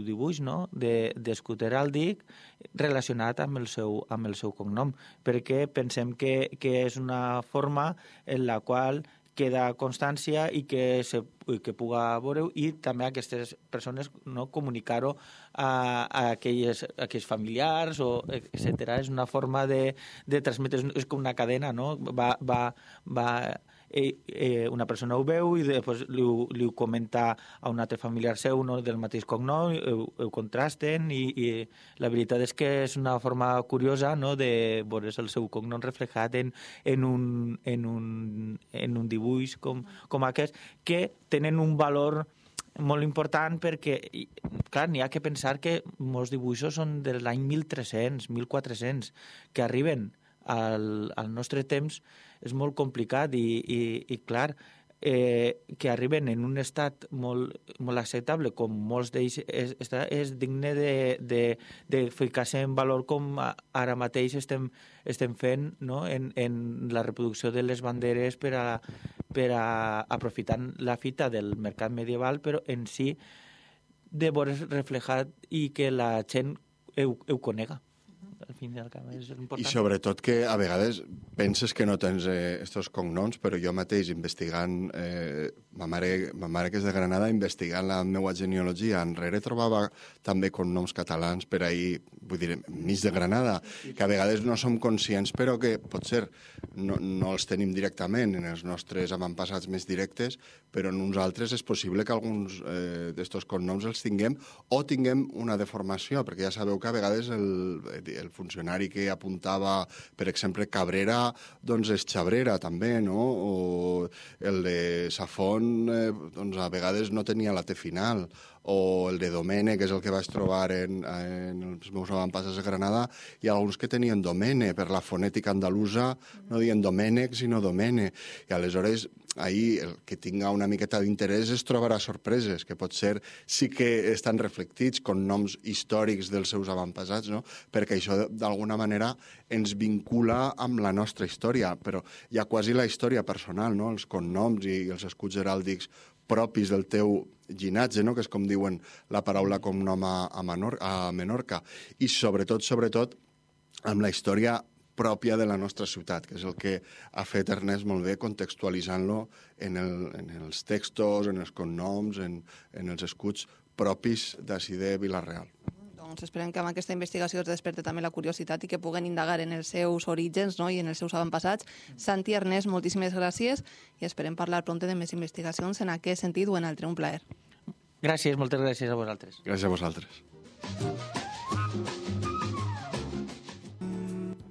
dibuix, no?, d'escut heràldic relacionat amb el seu cognom, perquè pensem que és una forma en la qual queda constància i que puga veure, i també aquestes persones comunicar-ho a aquells familiars, etc. És una forma de transmetre, és com una cadena, no? Una persona ho veu i després li ho comenta a un altre familiar seu, del mateix cognom, ho contrasten, i la veritat és que és una forma curiosa, de veure el seu cognom reflejat en un dibuix com aquest, que tenen un valor molt important, perquè, clar, n'hi ha que pensar que molts dibuixos són de l'any 1300, 1400, que arriben al nostre temps. És molt complicat i clar, que arriben en un estat molt acceptable, com molts d'ells, és digne de ficar-se en valor, com ara mateix estem fent, en la reproducció de les banderes per a aprofitant la fita del mercat medieval, però en si de veure reflejat i que la gent ho conega. Al fin i al cap és important. I sobretot que a vegades penses que no tens estos cognoms, però jo mateix investigant, ma mare que és de Granada, investigant la meva genealogia, enrere trobava també cognoms catalans per ahir, vull dir, mig de Granada, que a vegades no som conscients, però que potser no els tenim directament en els nostres avantpassats més directes, però en uns altres és possible que alguns d'estos cognoms els tinguem o tinguem una deformació, perquè ja sabeu que a vegades el funcionari que apuntava, per exemple, Cabrera, doncs és Xabrera també, no? O el de Safon, doncs a vegades no tenia la T final, o el de Domene, que és el que vaig trobar en els meus avantpassats de Granada, hi ha alguns que tenien Domene, per la fonètica andalusa no diuen Domènec, sinó Domene, i aleshores ahir el que tinga una miqueta d'interès es trobarà sorpreses, que potser sí que estan reflectits con noms històrics dels seus avantpassats, no? Perquè això d'alguna manera ens vincula amb la nostra història, però hi ha quasi la història personal, no? Els cognoms i els escuts heràldics propis del teu llinatge, no? Que és com diuen la paraula cognom a Menorca, i sobretot amb la història pròpia de la nostra ciutat, que és el que ha fet Ernest molt bé, contextualitzant-lo en els textos, en els cognoms, en els escuts propis d'ací de Vila-real. Doncs esperem que amb aquesta investigació es desperti també la curiositat i que puguen indagar en els seus orígens, no? I en els seus avantpassats. Santi, Ernest, moltíssimes gràcies i esperem parlar prompte de més investigacions en aquest sentit o en altre. Un plaer. Gràcies, moltes gràcies a vosaltres. Gràcies a vosaltres.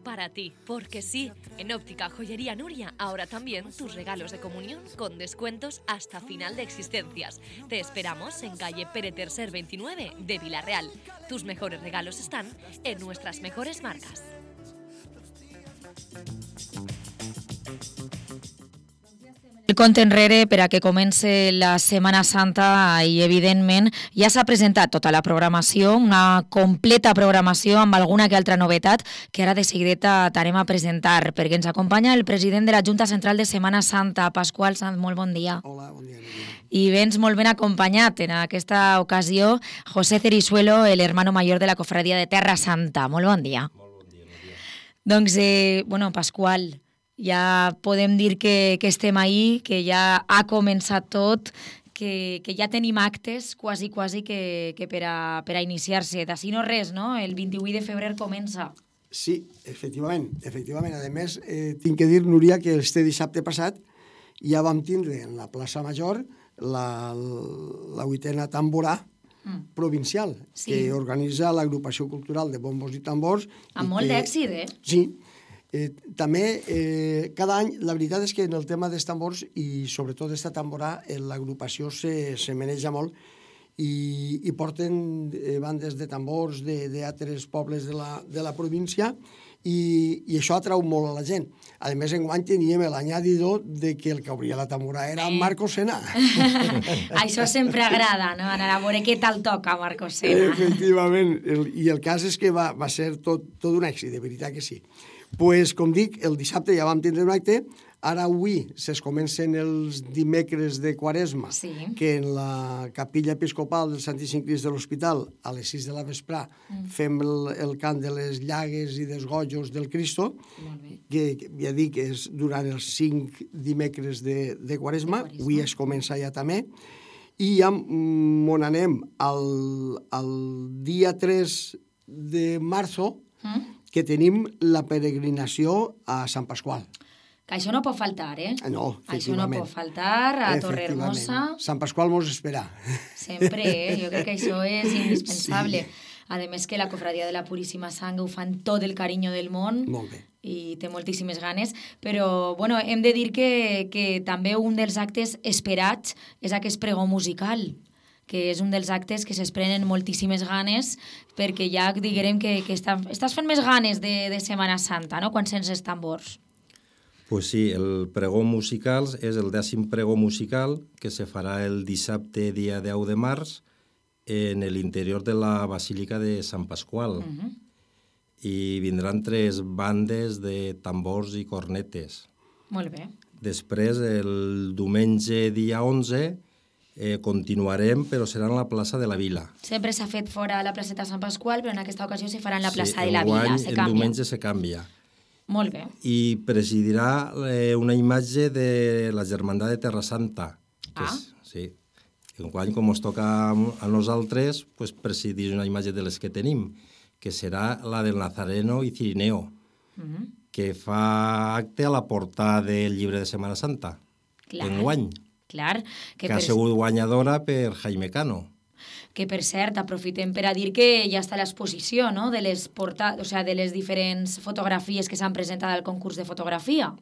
Para ti, porque sí, en Óptica Joyería Nuria, ahora también tus regalos de comunión con descuentos hasta final de existencias. Te esperamos en calle Pere Tercer 29 de Vila-real. Tus mejores regalos están en nuestras mejores marcas. El compte enrere per a que comenci la Setmana Santa i, evidentment, ja s'ha presentat tota la programació, una completa programació amb alguna que altra novetat que ara de seguideta t'anem a presentar, perquè ens acompanya el president de la Junta Central de Setmana Santa, Pasqual Sanz. Molt bon dia. Hola, bon dia. I vens molt ben acompanyat en aquesta ocasió, José Cerisuelo, el hermano mayor de la Cofradía de Terra Santa. Molt bon dia. Molt bon dia. Doncs, Pasqual, ja podem dir que estem ahí, que ja ha començat tot, que ja tenim actes quasi que per a iniciar-se. D'ací no res, no? El 28 de febrer comença. Sí, efectivament. A més, tinc que dir, Núria, que este dissabte passat ja vam tindre en la plaça Major la 8a tamborà provincial, sí, que organitza l'agrupació cultural de bombos i tambors. Amb molt d'èxit, eh? Sí. També, cada any, la veritat és que en el tema dels tambors i sobretot d'esta tamborà, l'agrupació se maneja molt i porten bandes de tambors d'altres pobles de la província i això atrau molt a la gent. A més, enguany teníem l'añadidor de que el que obria la tamborà era Marco Sena. Això sempre agrada, no? Anar a veure què tal toca Marco Sena. Efectivament, i el cas és que va ser tot un èxit, de veritat que sí. Pues, com dic, el dissabte ja vam tindre un acte, ara avui es comencen els dimecres de Quaresma, que en la capilla episcopal del Santíssim Crist de l'Hospital, a les 6 de la vesprà, fem el cant de les llagues i dels gojos del Cristo, que ja dic, és durant els 5 dimecres de Quaresma, avui es comença ja també, i ja on anem al dia 3 de marzo, que tenim la peregrinació a Sant Pasqual. Que això no pot faltar, eh? No, efectivament. Això no pot faltar a Torrehermosa. Sant Pasqual mos espera. Sempre, Jo crec que això és indispensable. A més que la Cofradia de la Puríssima Sang ho fan tot el carinyo del món. Molt bé. I té moltíssimes ganes, però bueno, hem de dir que també un dels actes esperats és aquest pregó musical, que és un dels actes que s'esprenen moltíssimes ganes, perquè ja diguem que estàs fent més ganes de Setmana Santa, no?, quan sents els tambors. Pues sí, el pregó musical és el 10è pregó musical que se farà el dissabte dia 10 de març en l'interior de la Basílica de Sant Pasqual. I vindran 3 bandes de tambors i cornetes. Molt bé. Després, el diumenge dia 11, continuarem, però serà en la plaça de la Vila. Sempre s'ha fet fora a la placeta Sant Pasqual, però en aquesta ocasió se farà en la plaça de la Vila. El diumenge se canvia. Molt bé. I presidirà una imatge de la Germandat de Terra Santa. Sí. Enguany, com ens toca a nosaltres, pues, presidir una imatge de les que tenim, que serà la del Nazareno i Cirineo, que fa acte a la portada del llibre de Setmana Santa, enguany. Clar. Que ha sigut guanyadora per Jaime Cano. Que, per cert, aprofitem per a dir que ja està l'exposició, no?, de les diferents fotografies que s'han presentat al concurs de fotografia.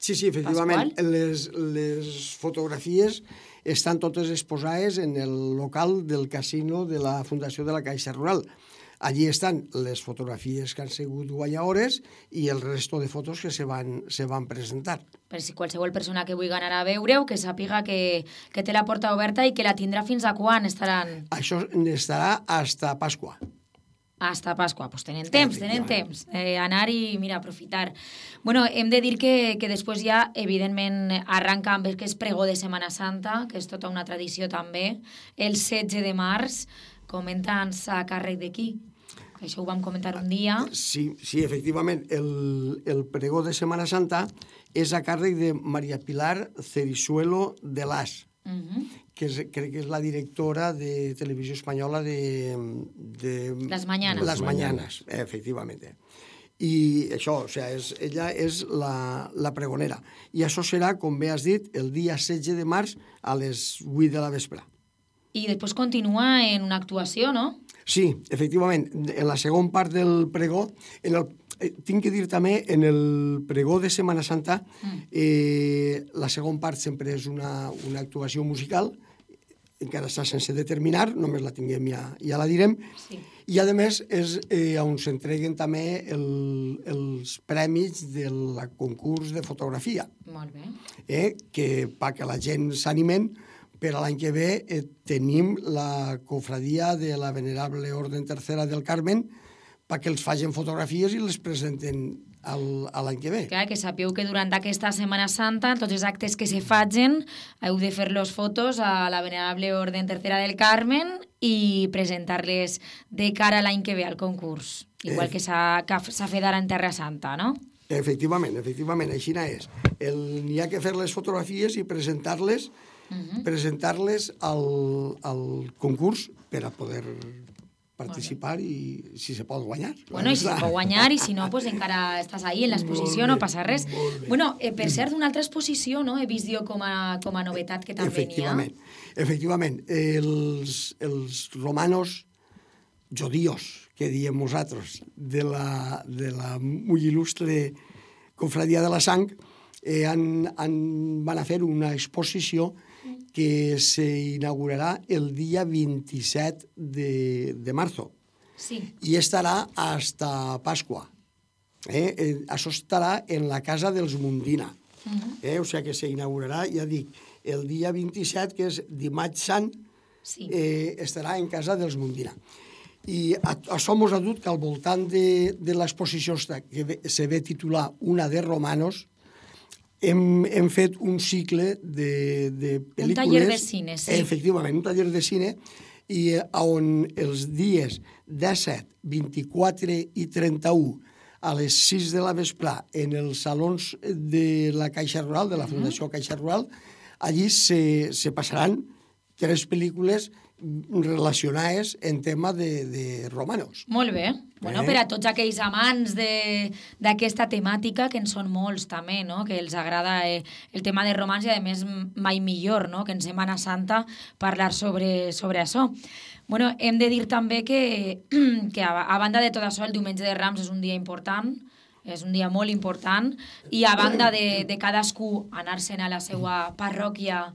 Sí, efectivament. Les fotografies estan totes exposades en el local del casino de la Fundació de la Caixa Rural. Allí estan les fotografies que han sigut guanyadores i el resto de fotos que se van presentar. Per si qualsevol persona que vulgui anar a veure-ho, que sàpiga que té la porta oberta i que la tindrà fins a quan estaran? Això estarà hasta Pasqua. Hasta Pasqua, doncs tenen temps. Anar i, aprofitar. Bueno, hem de dir que després ja, evidentment, arranca amb aquest pregó de Setmana Santa, que és tota una tradició també, el 16 de març, comenta'ns a càrrec de qui? Això ho vam comentar un dia. Sí, efectivament. El pregó de Setmana Santa és a càrrec de María Pilar Cerisuelo de Las, que crec que és la directora de Televisió Espanyola de Las Mañanas. Las Mañanas, efectivament. I això, ella és la pregonera. I això serà, com bé has dit, el dia 16 de març a les 8 de la vespre. I després continua en una actuació, no? Sí, efectivament. En la segona part del pregó, tinc que dir també, en el pregó de Setmana Santa, la segona part sempre és una actuació musical, encara està sense determinar, només la tinguem ja la direm, i a més és on s'entreguen també els premis del concurs de fotografia. Molt bé. Que perquè la gent s'animen, per a l'any que ve tenim la cofradia de la Venerable Orden Tercera del Carmen perquè els facin fotografies i les presenten l'any que ve. Clar, que sapeu que durant aquesta Setmana Santa, tots els actes que se facin, heu de fer-los fotos a la Venerable Orden Tercera del Carmen i presentar-les de cara a l'any que ve al concurs, igual que s'ha fet ara en Terra Santa, no? Efectivament, així és. N'hi ha que fer les fotografies i presentar-les al concurs per a poder participar i si se pot guanyar. Bueno, i si se pot guanyar i si no, pues encara estàs ahí en l'exposició, no passa res. Bueno, per cert, d'una altra exposició, no? He vist jo com a novetat que també n'hi ha. Efectivament. Els romanos judíos, que diem nosaltres, de la molt il·lustre Cofradia de la Sang, van a fer una exposició que s'inaugurarà el dia 27 de marzo. Sí. I estarà hasta Pasqua. Això estarà en la casa dels Mundina. O sigui que s'inaugurarà, ja dic, el dia 27, que és dimarts sant, estarà en casa dels Mundina. I això mos ha dut que al voltant de l'exposició que se ve titular Una de Romanos, hem fet un cicle de pel·lícules... Un taller de cine, sí. Efectivament, un taller de cine, i on els dies 17, 24 i 31 a les 6 de la vesprà en els salons de la Caixa Rural, de la Fundació Caixa Rural, allí se passaran 3 pel·lícules relacionades en tema de romanos. Molt bé. Bueno, per a tots aquells amants d'aquesta temàtica, que en són molts també, no? Que els agrada el tema de romans i, a més, mai millor, no? Que en Setmana Santa parlar sobre això. Bueno, hem de dir també que a banda de tot això, el diumenge de Rams és un dia important, és un dia molt important, i a banda de cadascú anar-se'n a la seva parròquia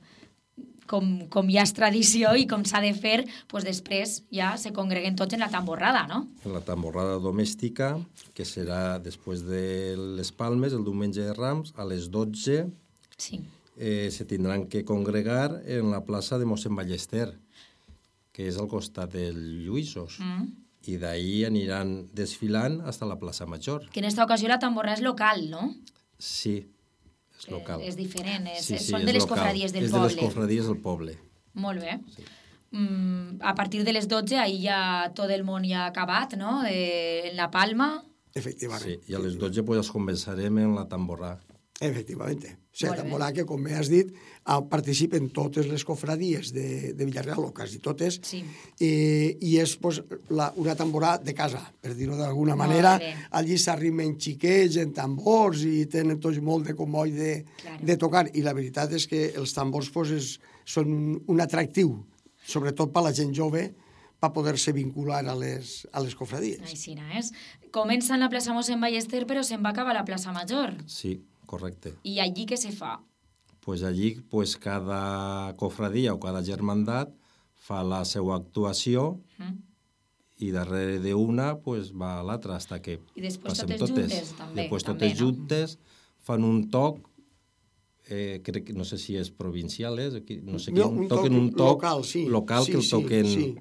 com ja és tradició i com s'ha de fer, doncs després ja se congreguen tots en la tamborrada, no? En la tamborrada domèstica, que serà després de les Palmes, el diumenge de Rams, a les 12, sí. Se tindran que congregar en la plaça de mossèn Ballester, que és al costat del Lluïsos. I d'ahir aniran desfilant fins a la plaça Major. Que en aquesta ocasió la tamborrada és local, no? Sí, és local. És diferent, sí, són de les cofradies del poble. És de les cofradies del poble. Molt bé. Sí. A partir de les 12, ahir ja tot el món ja ha acabat, no? En la Palma. Efectivament. Sí, i a les 12 pues, els convencerem en la tamborrà. Efectivament. O sigui, la tamborrà que, com bé has dit, participen totes les cofradies de Villarreal, o quasi totes, sí. I és pues, una tamborà de casa, per dir-ho d'alguna manera. Allí s'arrimen xiquets en tambors i tenen tots molt de comoll de tocar. I la veritat és que els tambors pues, són un atractiu, sobretot per a la gent jove, per poder-se vincular a les cofradies. Així és. Comença en la plaça mossèn Ballester, però se'n va acabar a la plaça Major. Sí, correcte. I allí què se fa? Pues allí pues, cada cofradia o cada germandat fa la seva actuació i darrere d'una pues, va a l'altra fins que I després passem totes juntes, també. Després totes juntes fan un toc, crec que no sé si és provincial, no sé quin, toquen un toc local que el toquen... Sí.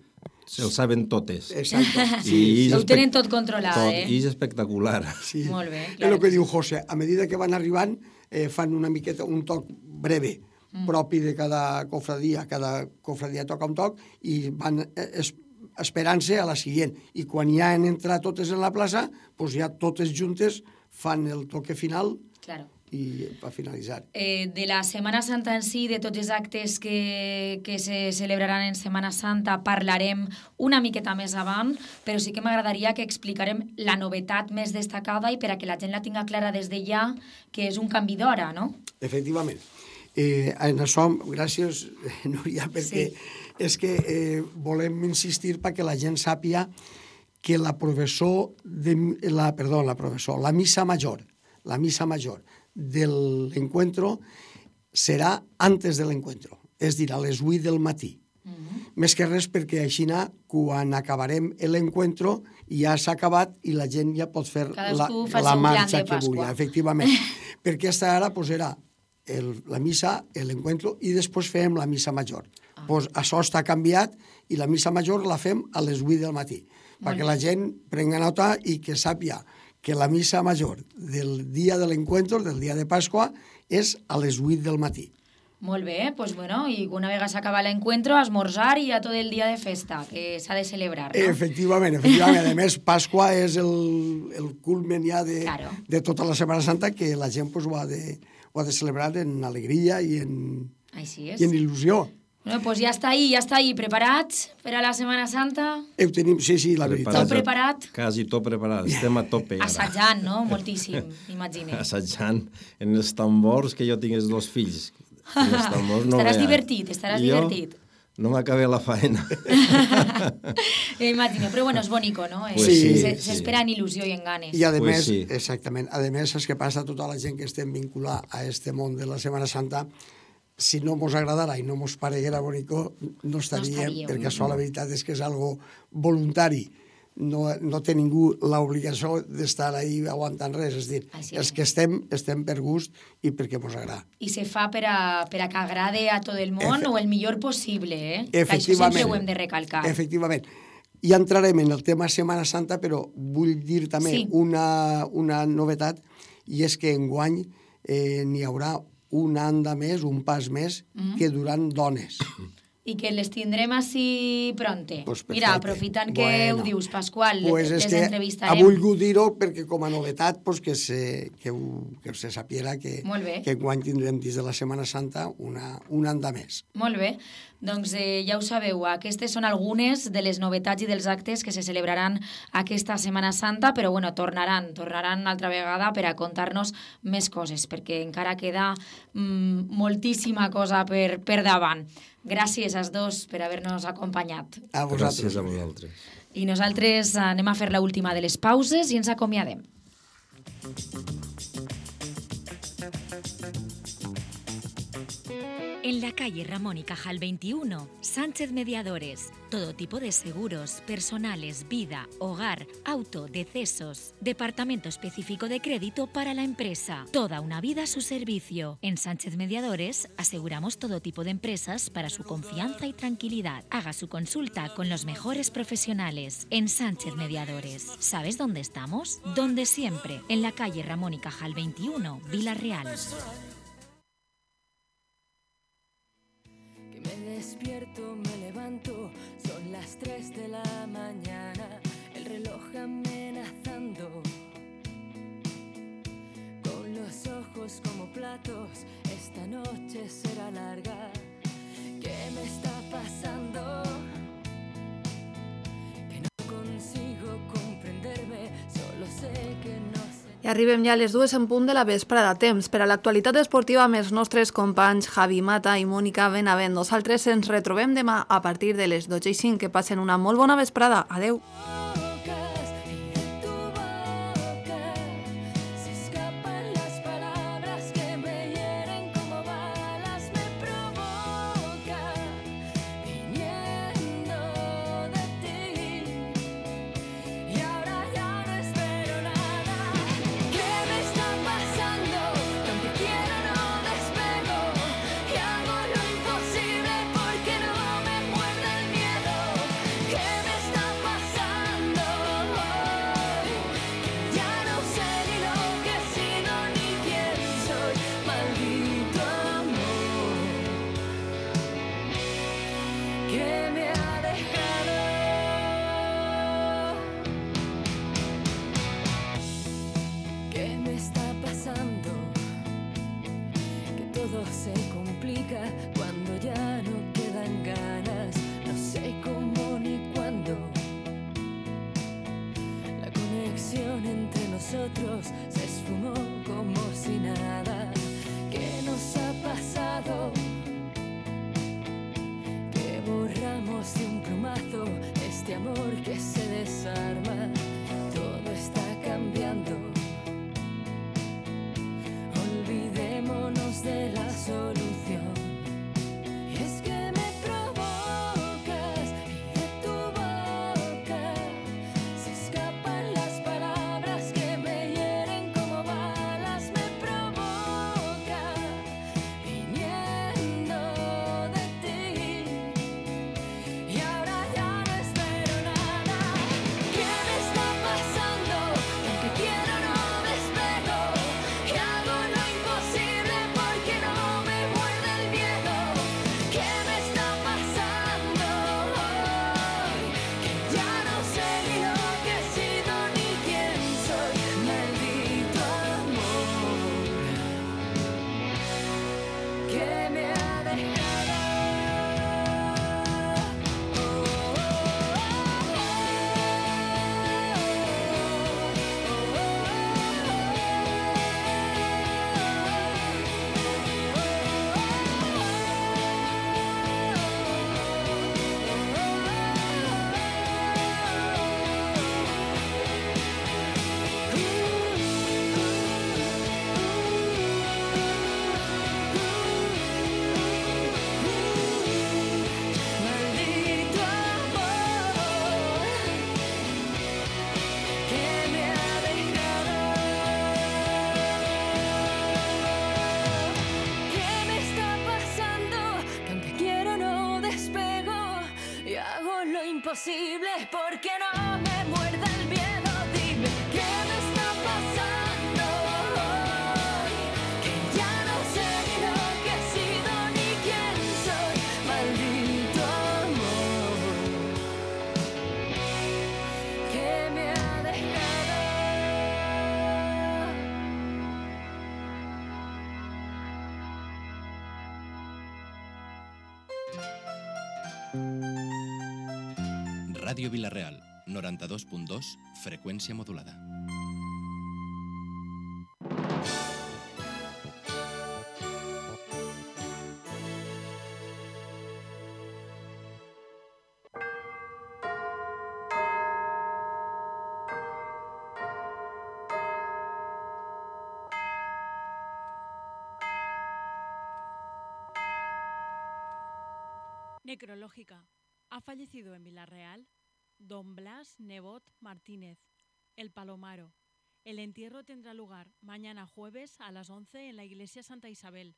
El saben totes. Exacte. Sí, ho tenen tot controlat, I és espectacular. Sí. Molt bé. És el que diu José. A medida que van arribant, fan una miqueta, un toc breve, propi de cada cofradia. Cada cofradia toca un toc i van esperant-se a la següent. I quan ja han entrat totes en la plaça, doncs ja totes juntes fan el toque final. Claro. I per finalitzar. De la Setmana Santa en si, de tots els actes que se celebraran en Setmana Santa, parlarem una miqueta més avant, però sí que m'agradaria que explicarem la novetat més destacada i per a que la gent la tinga clara des de ja, que és un canvi d'hora, no? Efectivament. En això, gràcies, Núria, perquè és que volem insistir perquè la gent sàpiga que la missa major de l'encuentro serà antes de l'encuentro, és dir, a les 8 del matí. Més que res perquè així, quan acabarem l'encuentro, ja s'ha acabat i la gent ja pot fer la marxa que vulgui. Efectivament. Perquè aquesta ara era la missa, l'encuentro, i després fem la missa major. Això està canviat i la missa major la fem a les 8 del matí, perquè la gent prengui nota i que sàpiga que la missa major del dia de l'encuentro, del dia de Pasqua, és a les 8 del matí. Molt bé, doncs bueno, i una vegada s'acaba l'encuentro, esmorzar i ja tot el dia de festa, que s'ha de celebrar, no? Efectivament. A més, Pasqua és el culmen ja de tota la Setmana Santa, que la gent ho ha de celebrar en alegria i en il·lusió. Bueno, doncs ja està ahí, preparats per a la Setmana Santa? Ho tenim, sí, la veritat. Tot preparat? Quasi tot preparat, estem a tope. Assajant, no? Moltíssim, m'imagino. Assajant en els tambors, que jo tinc els 2 fills. Estaràs divertit. No m'acabé la faena. Imagino, però bueno, és bonico, no? S'espera en il·lusió i en ganes. I a més, exactament, a més és que passa tota la gent que estem vinculada a este món de la Setmana Santa, si no mos agradara i no mos pareguera bonico, no estaríem, perquè això la veritat és que és algo voluntari. No té ningú l'obligació d'estar ahí aguantant res, és dir, els que estem per gust i perquè mos agrada. I se fa per a que agrade a tot el món o el millor possible, eh? Efectivament. Això sempre ho hem de recalcar. Efectivament. Ja entrarem en el tema Setmana Santa, però vull dir també una novetat, i és que enguany n'hi haurà un anda més, un pas més, que duran dones. I que les tindrem així pronte. Pues mira, aprofitant que ho dius, Pasqual, pues les entrevistarem. Ha volgut dir-ho perquè com a novetat que se sapiera que enguany tindrem dins de la Setmana Santa un anda més. Molt bé. Doncs ja ho sabeu, aquestes són algunes de les novetats i dels actes que se celebraran aquesta Setmana Santa, però bueno, tornaran altra vegada per a contar-nos més coses, perquè encara queda moltíssima cosa per davant. Gràcies als dos per haver-nos acompanyat. A vosaltres. Gràcies a vosaltres. I nosaltres anem a fer l'última de les pauses i ens acomiadem. En la calle Ramón y Cajal 21, Sánchez Mediadores. Todo tipo de seguros, personales, vida, hogar, auto, decesos. Departamento específico de crédito para la empresa. Toda una vida a su servicio. En Sánchez Mediadores aseguramos todo tipo de empresas para su confianza y tranquilidad. Haga su consulta con los mejores profesionales. En Sánchez Mediadores. ¿Sabes dónde estamos? Donde siempre. En la calle Ramón y Cajal 21, Vila-real. Me despierto, me levanto, son las 3 de la mañana, el reloj amenazando, con los ojos como platos, esta noche será larga. ¿Qué me está pasando? Que no consigo comprenderme, solo sé que no sé. I arribem ja a les 2 en punt de la vesprada. Temps per a l'actualitat esportiva amb els nostres companys Javi Mata i Mònica Benavent. Nosaltres ens retrobem demà a partir de les 12:05. Que passen una molt bona vesprada. Adeu. Se esfumó como si nada. ¿Qué nos ha pasado? Que borramos de un plumazo este amor que se desarma. Todo está cambiando. Olvidémonos de la solución. imposible porque no me muerde el miedo. Dime qué me está pasando hoy, que ya no sé ni lo que he sido ni quién soy. Maldito amor que me ha dejado. Ràdio Vila-real, 92.2, freqüència modulada. Necrológica. Ha fallecido en Villarreal Don Blas Nebot Martínez, el Palomaro. El entierro tendrá lugar mañana jueves a las 11 en la iglesia Santa Isabel.